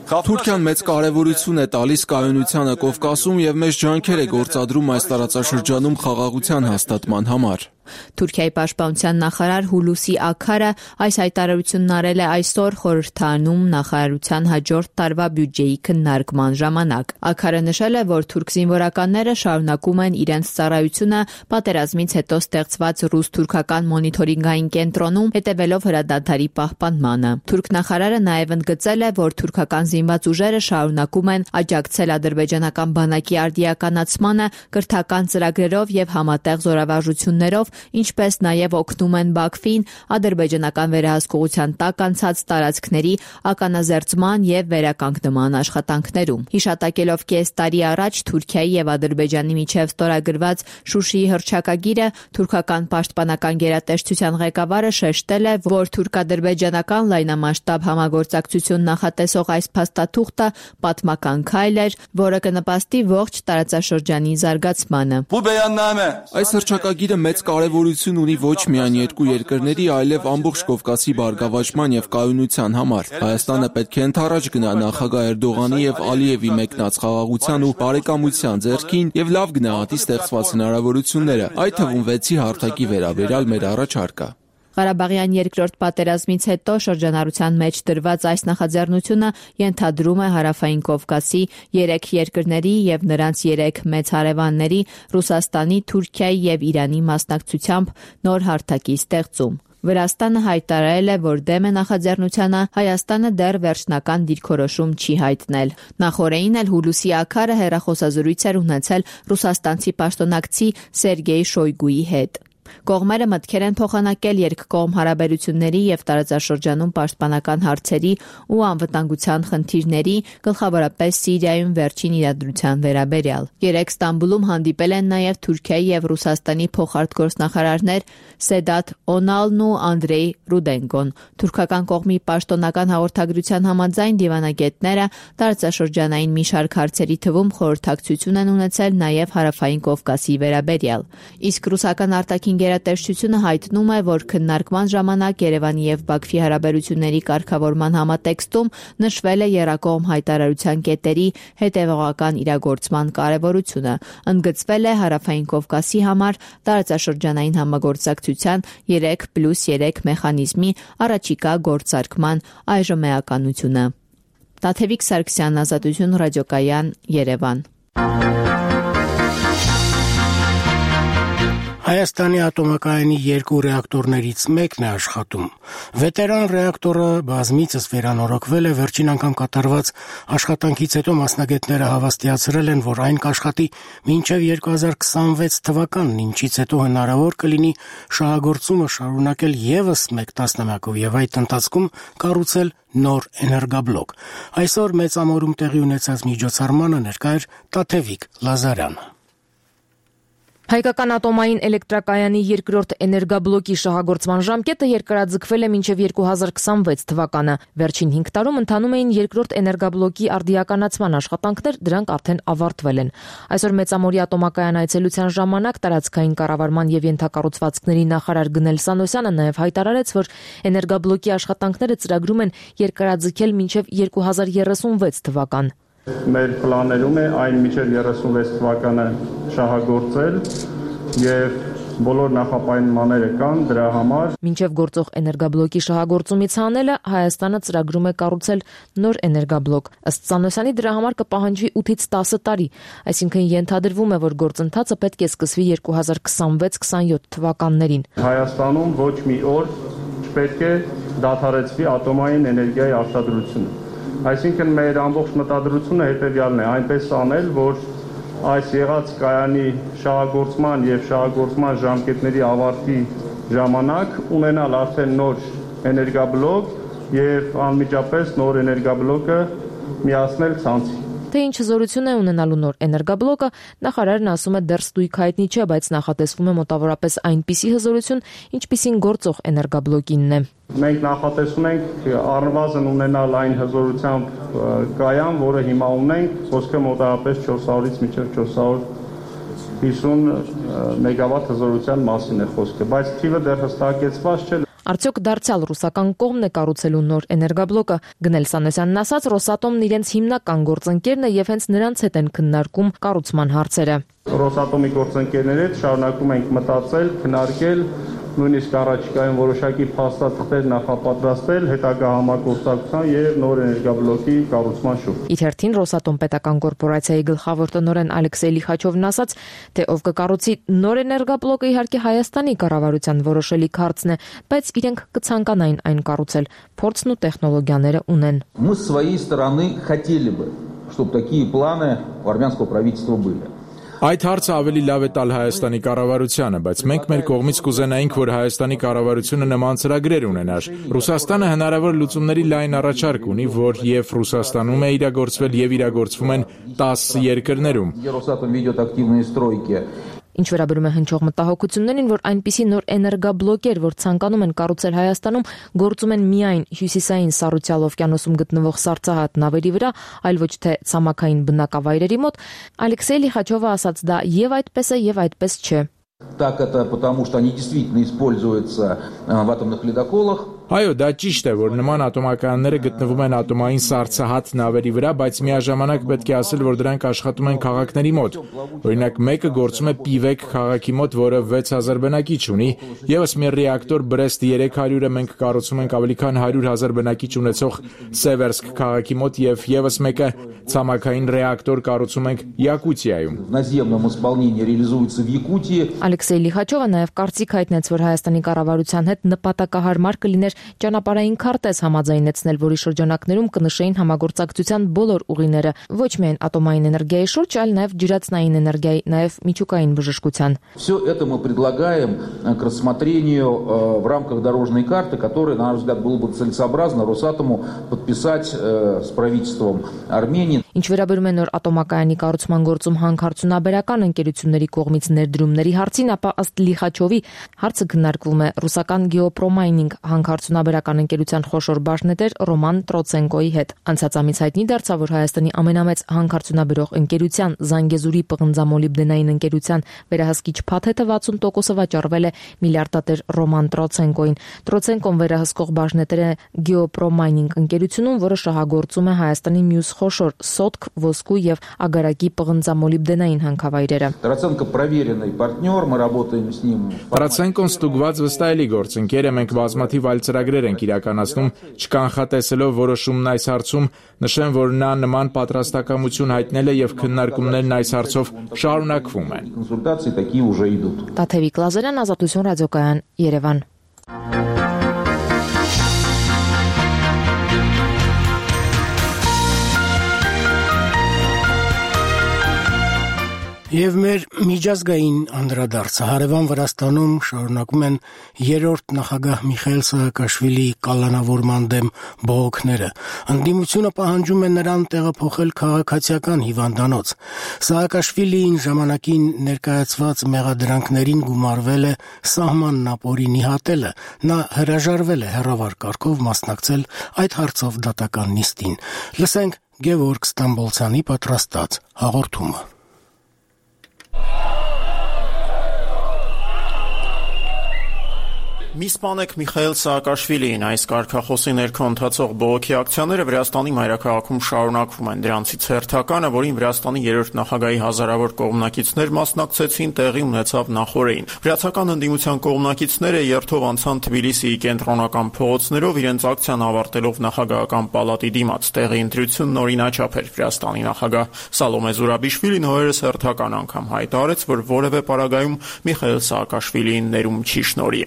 Թուրքիան մեծ կարևորություն է տալիս կայունությանը Կովկասում եւ մեծ ջանքեր է գործադրում այս տարածաշրջանում խաղաղության հաստատման համար։ Թուրքիայի պաշտպանության նախարար Հուլուսի Աքարը այս հայտարարությունն արել է այսօր խորհրդարանում նախարարության հաջորդ տարվա բյուջեի քննարկման ժամանակ։ Աքարը նշել է, որ թուրք զինվորականները շարունակում են իրենց ծառայությունը պատերազմից հետո ստեղծված ռուս-թուրքական մոնիթորինգային կենտրոնում, հետևելով հրադադարի պահպանմանը։ Թուրք նախարարը նաև ընդգծել է, որ թուրքական զինված ուժերը շարունակում են աջակցել ադրբեջանական բանակի արդիականացմանը կրթական ծրագրերով եւ համատեղ զորավարժություններով, ինչպես նաև օգնում են Բաքվին ադրբեջանական վերահսկողության տակ անցած տարածքների ականազերծման եւ վերականգնման աշխատանքներում։ Հիշատակելով կես տարի առաջ Թուրքիայի եւ Ադրբեջանի միջև ստորագրված Շուշիի հռչակագիրը, թուրքական պաշտպանական գերատեսչության ղեկավարը շեշտել է, որ թուրք-ադրբեջանական լայնամասշտաբ համագործակցություն նախատեսող այս փաստաթուղթը պատմական քայլ էր, որը կնպաստի ողջ տարածաշրջանի զարգացմանը։ Այս հռչակագիրը մեծ կարևորություն ունի ոչ միայն երկու երկրների, այլև ամբողջ Կովկասի բարգավաճման եւ կայունության համար։ Հայաստանը պետք է ընդառաջ գնա նախագահ Էրդողանի եւ Ալիևի մեկնած խաղաղության ու բարեկամության ձեռքին եւ լավ գնահատի ստեղծված հնարավորությունները, այդ թվում 6-ի հարթակի վերաբերյալ մեր առաջարկը։ Ղարաբաղյան երկրորդ պատերազմից հետո շրջանառության մեջ դրված այս նախաձեռնությունը ենթադրում է Հարավային Կովկասի 3 երկրների եւ նրանց 3 մեծ հարևանների Ռուսաստանի, Թուրքիայի եւ Իրանի մասնակցությամբ նոր հարթակի ստեղծում։ Վրաստանը հայտարարել է, որ դեմ է նախաձեռնությանը, Հայաստանը դեռ վերջնական դիրքորոշում չի հայտնել։ Նախորդին էլ Հուլուսի Աքարը հեռախոսազրույց էր ունեցել ռուսաստանցի պաշտոնակցի Սերգեյ Շոյգուի հետ։ Կողմերը մտքեր են փոխանակել երկկողմ հարաբերությունների եւ տարածաշրջանում պաշտպանական հարցերի ու անվտանգության խնդիրների, գլխավորապես Սիրիայում վերջին իրադրության վերաբերյալ։ Երեկ Ստամբուլում հանդիպել են նաեւ Թուրքիայի եւ Ռուսաստանի փոխարտգործնախարարներ Սեդատ Օնալն ու Անդրեյ Ռուդենկոն։ Թուրքական կողմի պաշտոնական հաղորդագրության համաձայն դիվանագետները տարածաշրջանային մի շարք հարցերի թվում խորհրդակցություն են ունեցել նաեւ Հարավային Կովկասի վերաբերյալ։ Իսկ ռուսական արտաքին գերատեսչությունը հայտնում է, որ քննարկման ժամանակ Երևանի եւ Բաքվի հարաբերությունների կարգավորման համատեքստում նշվել է եռակողմ հայտարարության կետերի հետևողական իրագործման կարևորությունը։ Ընդգծվել է Հարավային Կովկասի համար տարածաշրջանային համագործակցության 3+3 մեխանիզմի առաջիկա գործարկման այժմեականությունը։ Տաթևիկ Սարգսյան, Ազատություն ռադիոկայան, Երևան։ Հայաստանի ատոմակայանի 2 ռեակտորներից մեկն է աշխատում։ Վետերան ռեակտորը բազմիցս վերանորոգվել է, վերջին անգամ կատարված աշխատանքից հետո մասնագետները հավաստիացրել են, որ այն կաշխատի մինչև 2026 թվականն, ինչից հետո հնարավոր կլինի շահագործումը շարունակել եւս 1 տասնամյակով եւ այդ ընթացքում կառուցել նոր էներգաբլոկ։ Այսօր մեծամորում տեղի ունեցած միջոցառմանը ներկա էր Տաթևիկ Լազարյանը։ Հայկական ատոմային էլեկտրակայանի 2-րդ էներգաբլոկի շահագործման ժամկետը երկարաձգվել է մինչև 2026 թվականը։ Վերջին 5 տարում ընթանում էին 2-րդ էներգաբլոկի արդիականացման աշխատանքներ, դրանք արդեն ավարտվել են։ Այսօր Մեծամորի ատոմակայան այցելության ժամանակ տարածքային կառավարման եւ ենթակառուցվածքների նախարար Գնել Սանոսյանը նաեւ հայտարարեց, որ էներգաբլոկի աշխատանքները ծրագրում են երկարաձգել մինչև 2036 թվական։ Մեր պլաներում է այն մինչև 36 թվականը շահագործել եւ բոլոր նախապայմանները կան դրա համար։ Մինչև գործող էներգաբլոկի շահագործումից հանելը Հայաստանը ծրագրում է կառուցել նոր էներգաբլոկ։ Ըստ Սանոսյանի դրա համար կպահանջվի 8-ից 10 տարի, այսինքն ենթադրվում է, որ գործընթացը պետք է սկսվի 2026-27 թվականներին։ Հայաստանում ոչ մի օր չպետք է դադարեցվի ատոմային էներգիայի արտադրությունը։ Այսինքն մեր ամբողջ մտադրությունը հետևյալն է, այնպես անել, որ այս եղած կայանի շահագործման եւ շահագործման ժամկետների ավարտի ժամանակ ունենալ արդեն նոր էներգաբլոկ եւ անմիջապես նոր էներգաբլոկը միացնել ցանցի։ Թե ինչ հզորություն է ունենալու նոր էներգաբլոկը, նախարարն ասում է դեռ ստույգ հայտնի չէ, բայց նախատեսվում է մոտավորապես այնպիսի հզորություն, ինչպիսին գործող էներգաբլոկինն է։ Մենք նախատեսում ենք առնվազն ունենալ այն հզորությամբ կայան, որը հիմա ունենք, խոսքը մոտավորապես 400-ից մինչև 450 մեգավատ հզորության մասին է խոսքը, բայց թիվը դեռ հստակեցված չէ։ Արդյոք դարձյալ ռուսական կողմն է կառուցելու նոր էներգաբլոկը։ Գնել Սանոսյանն ասաց, Ռոսատոմն իրենց հիմնական գործընկերն է եւ հենց նրանց հետ են քննարկում կառուցման հարցերը։ Ռոսատոմի գործընկերների հետ շարունակում ենք մտածել, քննարկել, նույնիսկ առաջիկայում որոշակի փաստաթղթեր նախապատրաստել հետագա համագործակցության եւ նոր էներգաբլոկի կառուցման շուրջ։ Իր հերթին Ռոսատոմ պետական կորպորացիայի գլխավոր տնօրեն Ալեքսեյ Լիխաչովն ասաց, թե ով կկառուցի նոր էներգաբլոկը իհարկե Հայաստանի կառավարության որոշելիք հարցն է, բայց իրենք կցանկանային այն կառուցել, փորձն ու տեխնոլոգիաները ունեն։ Мы с своей стороны хотели бы, чтобы такие планы у армянского правительства были. Այդ հարցը ավելի լավ է տալ Հայաստանի կառավարությանը, բայց մենք մեր կողմից կուզենայինք, որ Հայաստանի կառավարությունը նման ծրագրեր ունենար։ Ռուսաստանը հնարավոր լուծումների լայն առաջարկ ունի, որ եւ Ռուսաստանում է իրագործվել եւ իրագործվում են 10 երկրներում։ Ինչ վերաբերում է հնչող մտահոգություններին, որ այնպիսի նոր էներգաբլոկեր, որ ցանկանում են կառուցել Հայաստանում, գործում են միայն հյուսիսային Սառուցյալ օվկիանոսում գտնվող սառցահատ նավերի վրա, այլ ոչ թե ցամաքային բնակավայրերի մոտ, Ալեքսեյ Լիխաչովը ասաց դա եւ այդպես է եւ այդպես չէ։ Так это потому, что они действительно используются в атомных ледоколах. Այո, դա ճիշտ է, որ նման ատոմակայանները գտնվում են ատոմային սառցահատ նավերի վրա, բայց միաժամանակ պետք է ասել, որ դրանք աշխատում են քաղաքների մոտ։ Օրինակ, մեկը գործում է Պիվեկ քաղաքի մոտ, որը 6000 բնակիչ ունի, եւս մի ռեակտոր Բրեստ 300-ը մենք կառուցում ենք ավելի քան 100,000 բնակիչ ունեցող Սևերսկ քաղաքի մոտ եւ եւս մեկը ցամաքային ռեակտոր կառուցում ենք Յակուտիայում։ Наземном исполнении реализуется в Якутии. Ալեքսեյ Լիխաչովը նաև կարծիք հայտնեց, որ Հայաստանի կառավարության հետ նպատակահարմար կլիներ ճանապարհային քարտեզ համաձայնեցնել, որի շրջանակներում կնշեին համագործակցության բոլոր ուղիները, ոչ միայն ատոմային էներգիայի շուրջ, այլ նաև ջրածնային էներգիայի, նաև միջուկային բժշկության։ Все это мы предлагаем к рассмотрению в рамках дорожной карты, которую, на наш взгляд, было бы целесообразно Росатому подписать с правительством Армении. Ինչ վերաբերում է նոր ատոմակայանի կառուցման գործում հանքարդյունաբերական ընկերությունների կողմից ներդրումների հարցին, ապա ըստ Լիխաչովի հարցը քննարկվում է ռուսական Geopromining հանքարդյունաբերական ընկերության խոշոր բաժնետեր Ռոման Տրոցենկոյի հետ։ Անցած ամիս հայտնի դարձավ, որ Հայաստանի ամենամեծ հանքարդյունաբերող ընկերության Զանգեզուրի պղնձամոլիբդենային ընկերության վերահսկիչ փաթեթը 60%-ը վաճառվել է միլիարդատեր Ռոման Տրոցենկոյին։ Տրոցենկոն վերահսկող բաժնետեր է Geopromining ընկերությունում, որը շահագործում է Հայաստանի մյուս խոշոր սոտք, ոսկու եւ ագարակի պղնձամոլիբդենային հանքավայրերը։ Տրոցենկո проверенный партнер, мы работаем с ним. Տրոցենկոն ստուգված վստահելի գործընկեր է, մենք բազմաթիվ այլ ծրագրեր ենք իրականացնում, չկանխատեսելով որոշումն այս հարցում, նշեմ, որ նա նման պատրաստակամություն հայտնել է եւ քննարկումներն այս հարցով շարունակվում են։ Կոնսուլտации такие уже идут. Տաթևիկ Լազարյան, Ազատություն ռադիոկայան, Երևան։ Եվ մեր միջազգային անդրադարձը հարևան Վրաստանում շարունակում են երրորդ նախագահ Միխայիլ Սահակաշվիլիի կալանավորման դեմ բողոքները։ Ընդդիմությունը պահանջում է նրան տեղափոխել քաղաքացիական հիվանդանոց։ Սահակաշվիլիին ժամանակին ներկայացված մեղադրանքներին գումարվել է սահմանն ապօրի նիհատելը։ Նա հրաժարվել է հեռավար կարգով մասնակցել այդ հարցով դատական նիստին։ Լսենք Գևորգ Ստամբոլցյանի պատրաստած հաղորդումը։ Մի սպանեք Միխայիլ Սահակաշվիլիին, այս կարգախոսի ներքո ընթացող բողոքի ակցիաները Վրաստանի մայրաքաղաքում շարունակվում են։ Դրանցից հերթականը, որին Վրաստանի երրորդ նախագահի հազարավոր կողմնակիցներ մասնակցեցին, տեղի ունեցավ նախօրեին։ Վրացական ընդդիմության կողմնակիցները երթով անցան Թբիլիսիի կենտրոնական փողոցներով, իրենց ակցիան ավարտելով նախագահական պալատի դիմաց։ Տեղի ընտրությունն օրինաչափ էր։ Վրաստանի նախագահ Սալոմե Զուրաբիշվիլին օրերս հերթական անգամ հայտարարեց, որ որևէ պարագայում Միխայիլ Սահակաշվիլիին ներում չի շնորհի։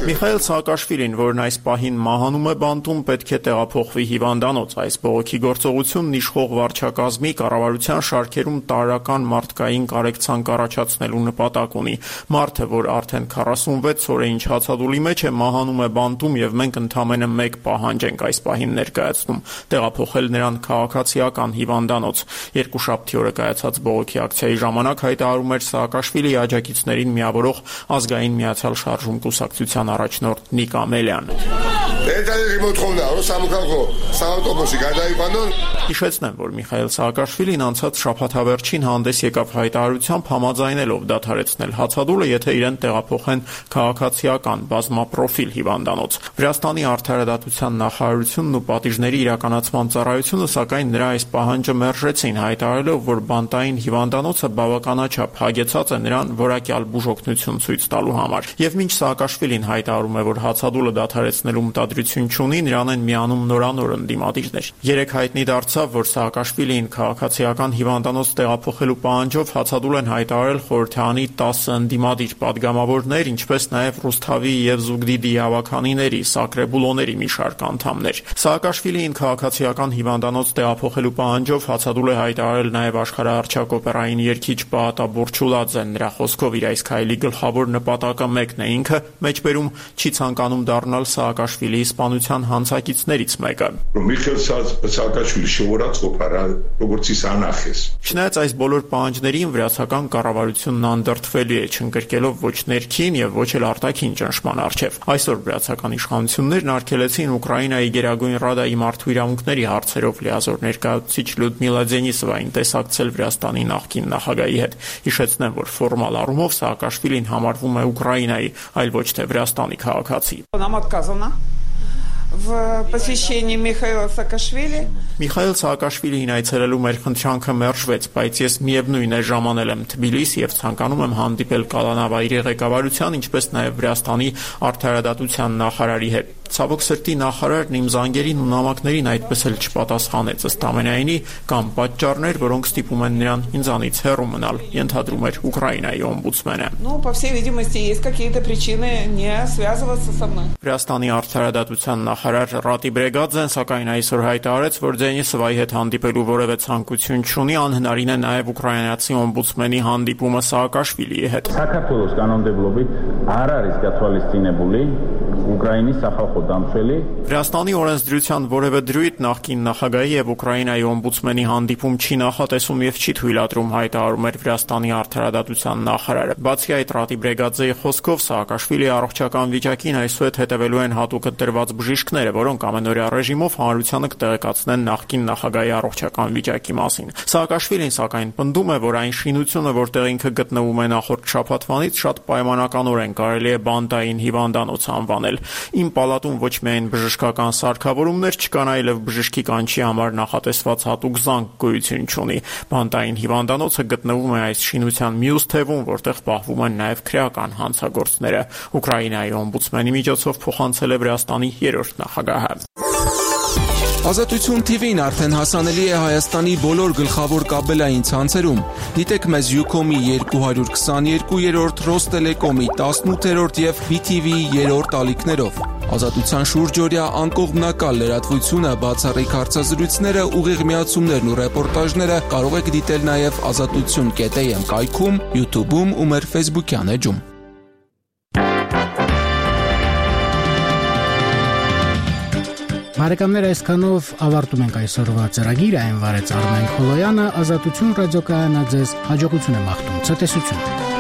Միխայիլ Սահակաշվիլին, որն այս պահին մահանում է բանտում, պետք է տեղափոխվի հիվանդանոց։ Այս բողոքի գործողությունն իշխող վարչակազմի կառավարության շարքերում տարրական մարդկային կարեկցանք առաջացնելու նպատակ ունի։ Մարդը, որ արդեն 46 օր է ինչ հացադուլի մեջ է, մահանում է բանտում եւ մենք ընդամենը մեկ պահանջ ենք այս պահին ներկայացնում՝ տեղափոխել նրան քաղաքացիական հիվանդանոց։ Երկուշաբթի օրը կայացած բողոքի ակցիայի ժամանակ հայտարարում էր Սահակաշվիլիի աջակիցներին միավորող ազգային միացյալ շարժում կուսակցության առաջնորդ Նիկ Ամելյան։ Հիշեցնեմ, որ Միխայիլ Սահակաշվիլին անցած շաբաթավերջին հանդես եկավ հայտարարությամբ համաձայնելով դադարեցնել հացադուլը, եթե իրեն տեղափոխեն քաղաքացիական բազմապրոֆիլ հիվանդանոց։ Վրաստանի արդարադատության նախարարությունն ու պատիժների իրականացման ծառայությունը սակայն նրա այս պահանջը մերժեցին, հայտարարելով, որ բանտային հիվանդանոցը բավականաչափ հագեցած է նրան որակյալ բուժօգնություն ցույց տալու համար։ Եվ մինչ Սահակաշվիլին հայտարարում է, որ հացադուլը դադարեցնելու մտադրություն չունի, նրան են միանում նորանոր ընդդիմադիրներ։ Երեք հայտնի դարձավ, որ Սահակաշվիլիին քաղաքացիական հիվանդանոց տեղափոխելու պահանջով հացադուլ են հայտարարել խորհրդարանի 10 ընդդիմադիր падգամավորներ, ինչպես նաև Ռուսթավի եւ Զուգդիդի հավաքանիների, Սակրեբուլոների մի շարք անդամներ։ Սահակաշվիլիին քաղաքացիական հիվանդանոց տեղափոխելու պահանջով հացադուլ է հայտարարել նաև աշխարհահռչակ օպերային երգիչ Պահատա Բուրչուլաձեն։ Նրա խոսքով իր այս քայլի գլխավոր նպատակը մեկն է, ինքը մեջբերում չի ցանկանում դառնալ Սահակաշվիլիի սպանության հանցակիցներից մեկը։ Չնայած այս բոլոր պահանջներին վրացական կառավարությունն անդրդվելի է, չընկրկելով ոչ ներքին եւ ոչ էլ արտաքին ճնշման առջեւ։ Այսօր վրացական իշխանություններն արգելեցին Ուկրաինայի Գերագույն Ռադայի մարդու իրավունքների հարցերով լիազոր ներկայացուցիչ Լյուդմիլա Դենիսովային տեսակցել Վրաստանի նախկին նախագահի հետ։ Հիշեցնեմ, որ ֆորմալ առումով Սահակաշվիլին համարվում է Ուկրաինայի, այլ ոչ թե Վրաստանի քաղաքացի։ В посвящении Михаила Саакашвили Միխայիլ Սահակաշվիլիին այցելելու մեր խնդրանքը մերժվեց, բայց ես միևնույն է ժամանել եմ Թբիլիս եւ ցանկանում եմ հանդիպել կալանավայրի ղեկավարության, ինչպես նաեւ Վրաստանի արդարադատության նախարարի հետ։ Ցավոք սրտի նախարարն իմ զանգերին ու նամակներին այդպես էլ չպատասխանեց, ըստ ամենայնի կան պատճառներ, որոնք ստիպում են նրան ինձանից հեռու մնալ, ենթադրում էր Ուկրաինայի օմբուդսմենը։ По всей видимости, есть какие-то причины не связываться со мной. Վրաստանի արդարադատության նախարար Ռատի Բրեգաձեն սակայն այսօր հայտարարեց, որ Դենիսովայի հետ հանդիպելու որևէ ցանկություն չունի, անհնարին է նաև ուկրաինացի օմբուդսմենի հանդիպումը Սաակաշվիլիի հետ։ Საქართველოს կանոնმდებლობით არ არის գացվալիստինებული Ուկրաինի սախալխոդամցելի Վրաստանի օրենսդրության որևէ դրույթ նախկին նախագահի եւ Ուկրաինայի օմբուդսմենի հանդիպում չի նախատեսում եւ չի թույլատրում, հայտարարում էր Վրաստանի արդարադատության նախարարը։ Բացի այդ, Ռատի Բրեգաձեի խոսքով Սաակաշվիլիի առողջական վիճակին այսուհետ հետևելու են հատուկ ընտրված բժիշկները, որոնք ամենօրյա ռեժիմով հանրությանը կտեղեկացնեն նախկին նախագահի առողջական վիճակի մասին։ Սաակաշվիլին սակայն պնդում է, որ այն շինությունը, որտեղ ինքը գտնվում է նախորդ շաբաթվանից, շատ պայմանականորեն կարելի է բանտային հիվանդանոց անվանել։ Իմ պալատում ոչ միայն բժշկական սարքավորումներ չկան, այլև բժշկի կանչի համար նախատեսված հատուկ զանգ գոյություն չունի։ Բանտային հիվանդանոցը գտնվում է այս շինության մյուս թևում, որտեղ պահվում են նաև քրեական հանցագործները։ Ուկրաինայի օմբուդսմենի միջոցով փոխանցել է Վրաստանի 3-րդ նախագահը։ Ազատություն TV-ն արդեն հասանելի է Հայաստանի բոլոր գլխավոր կաբելային ցանցերում։ Դիտեք մեզ Ucom-ի 222-րդ, Ռոստելեկոմի 18-րդ եւ BTV-ի 3-րդ ալիքներով։ Ազատության շուրջօրյա անկողմնակալ լրատվությունը, բացառիկ հարցազրույցները, ուղիղ միացումներն ու ռեպորտաժները կարող եք դիտել նաև azatutsun.am կայքում, YouTube-ում ու մեր Facebook-յան էջում։ Բարեկամներ, այսքանով ավարտում ենք այսօրվա ծրագիրը, այն վարեց Արմեն Խոլոյանը, Ազատություն ռադիոկայանը ձեզ հաջողություն է մաղթում, ցտեսություն։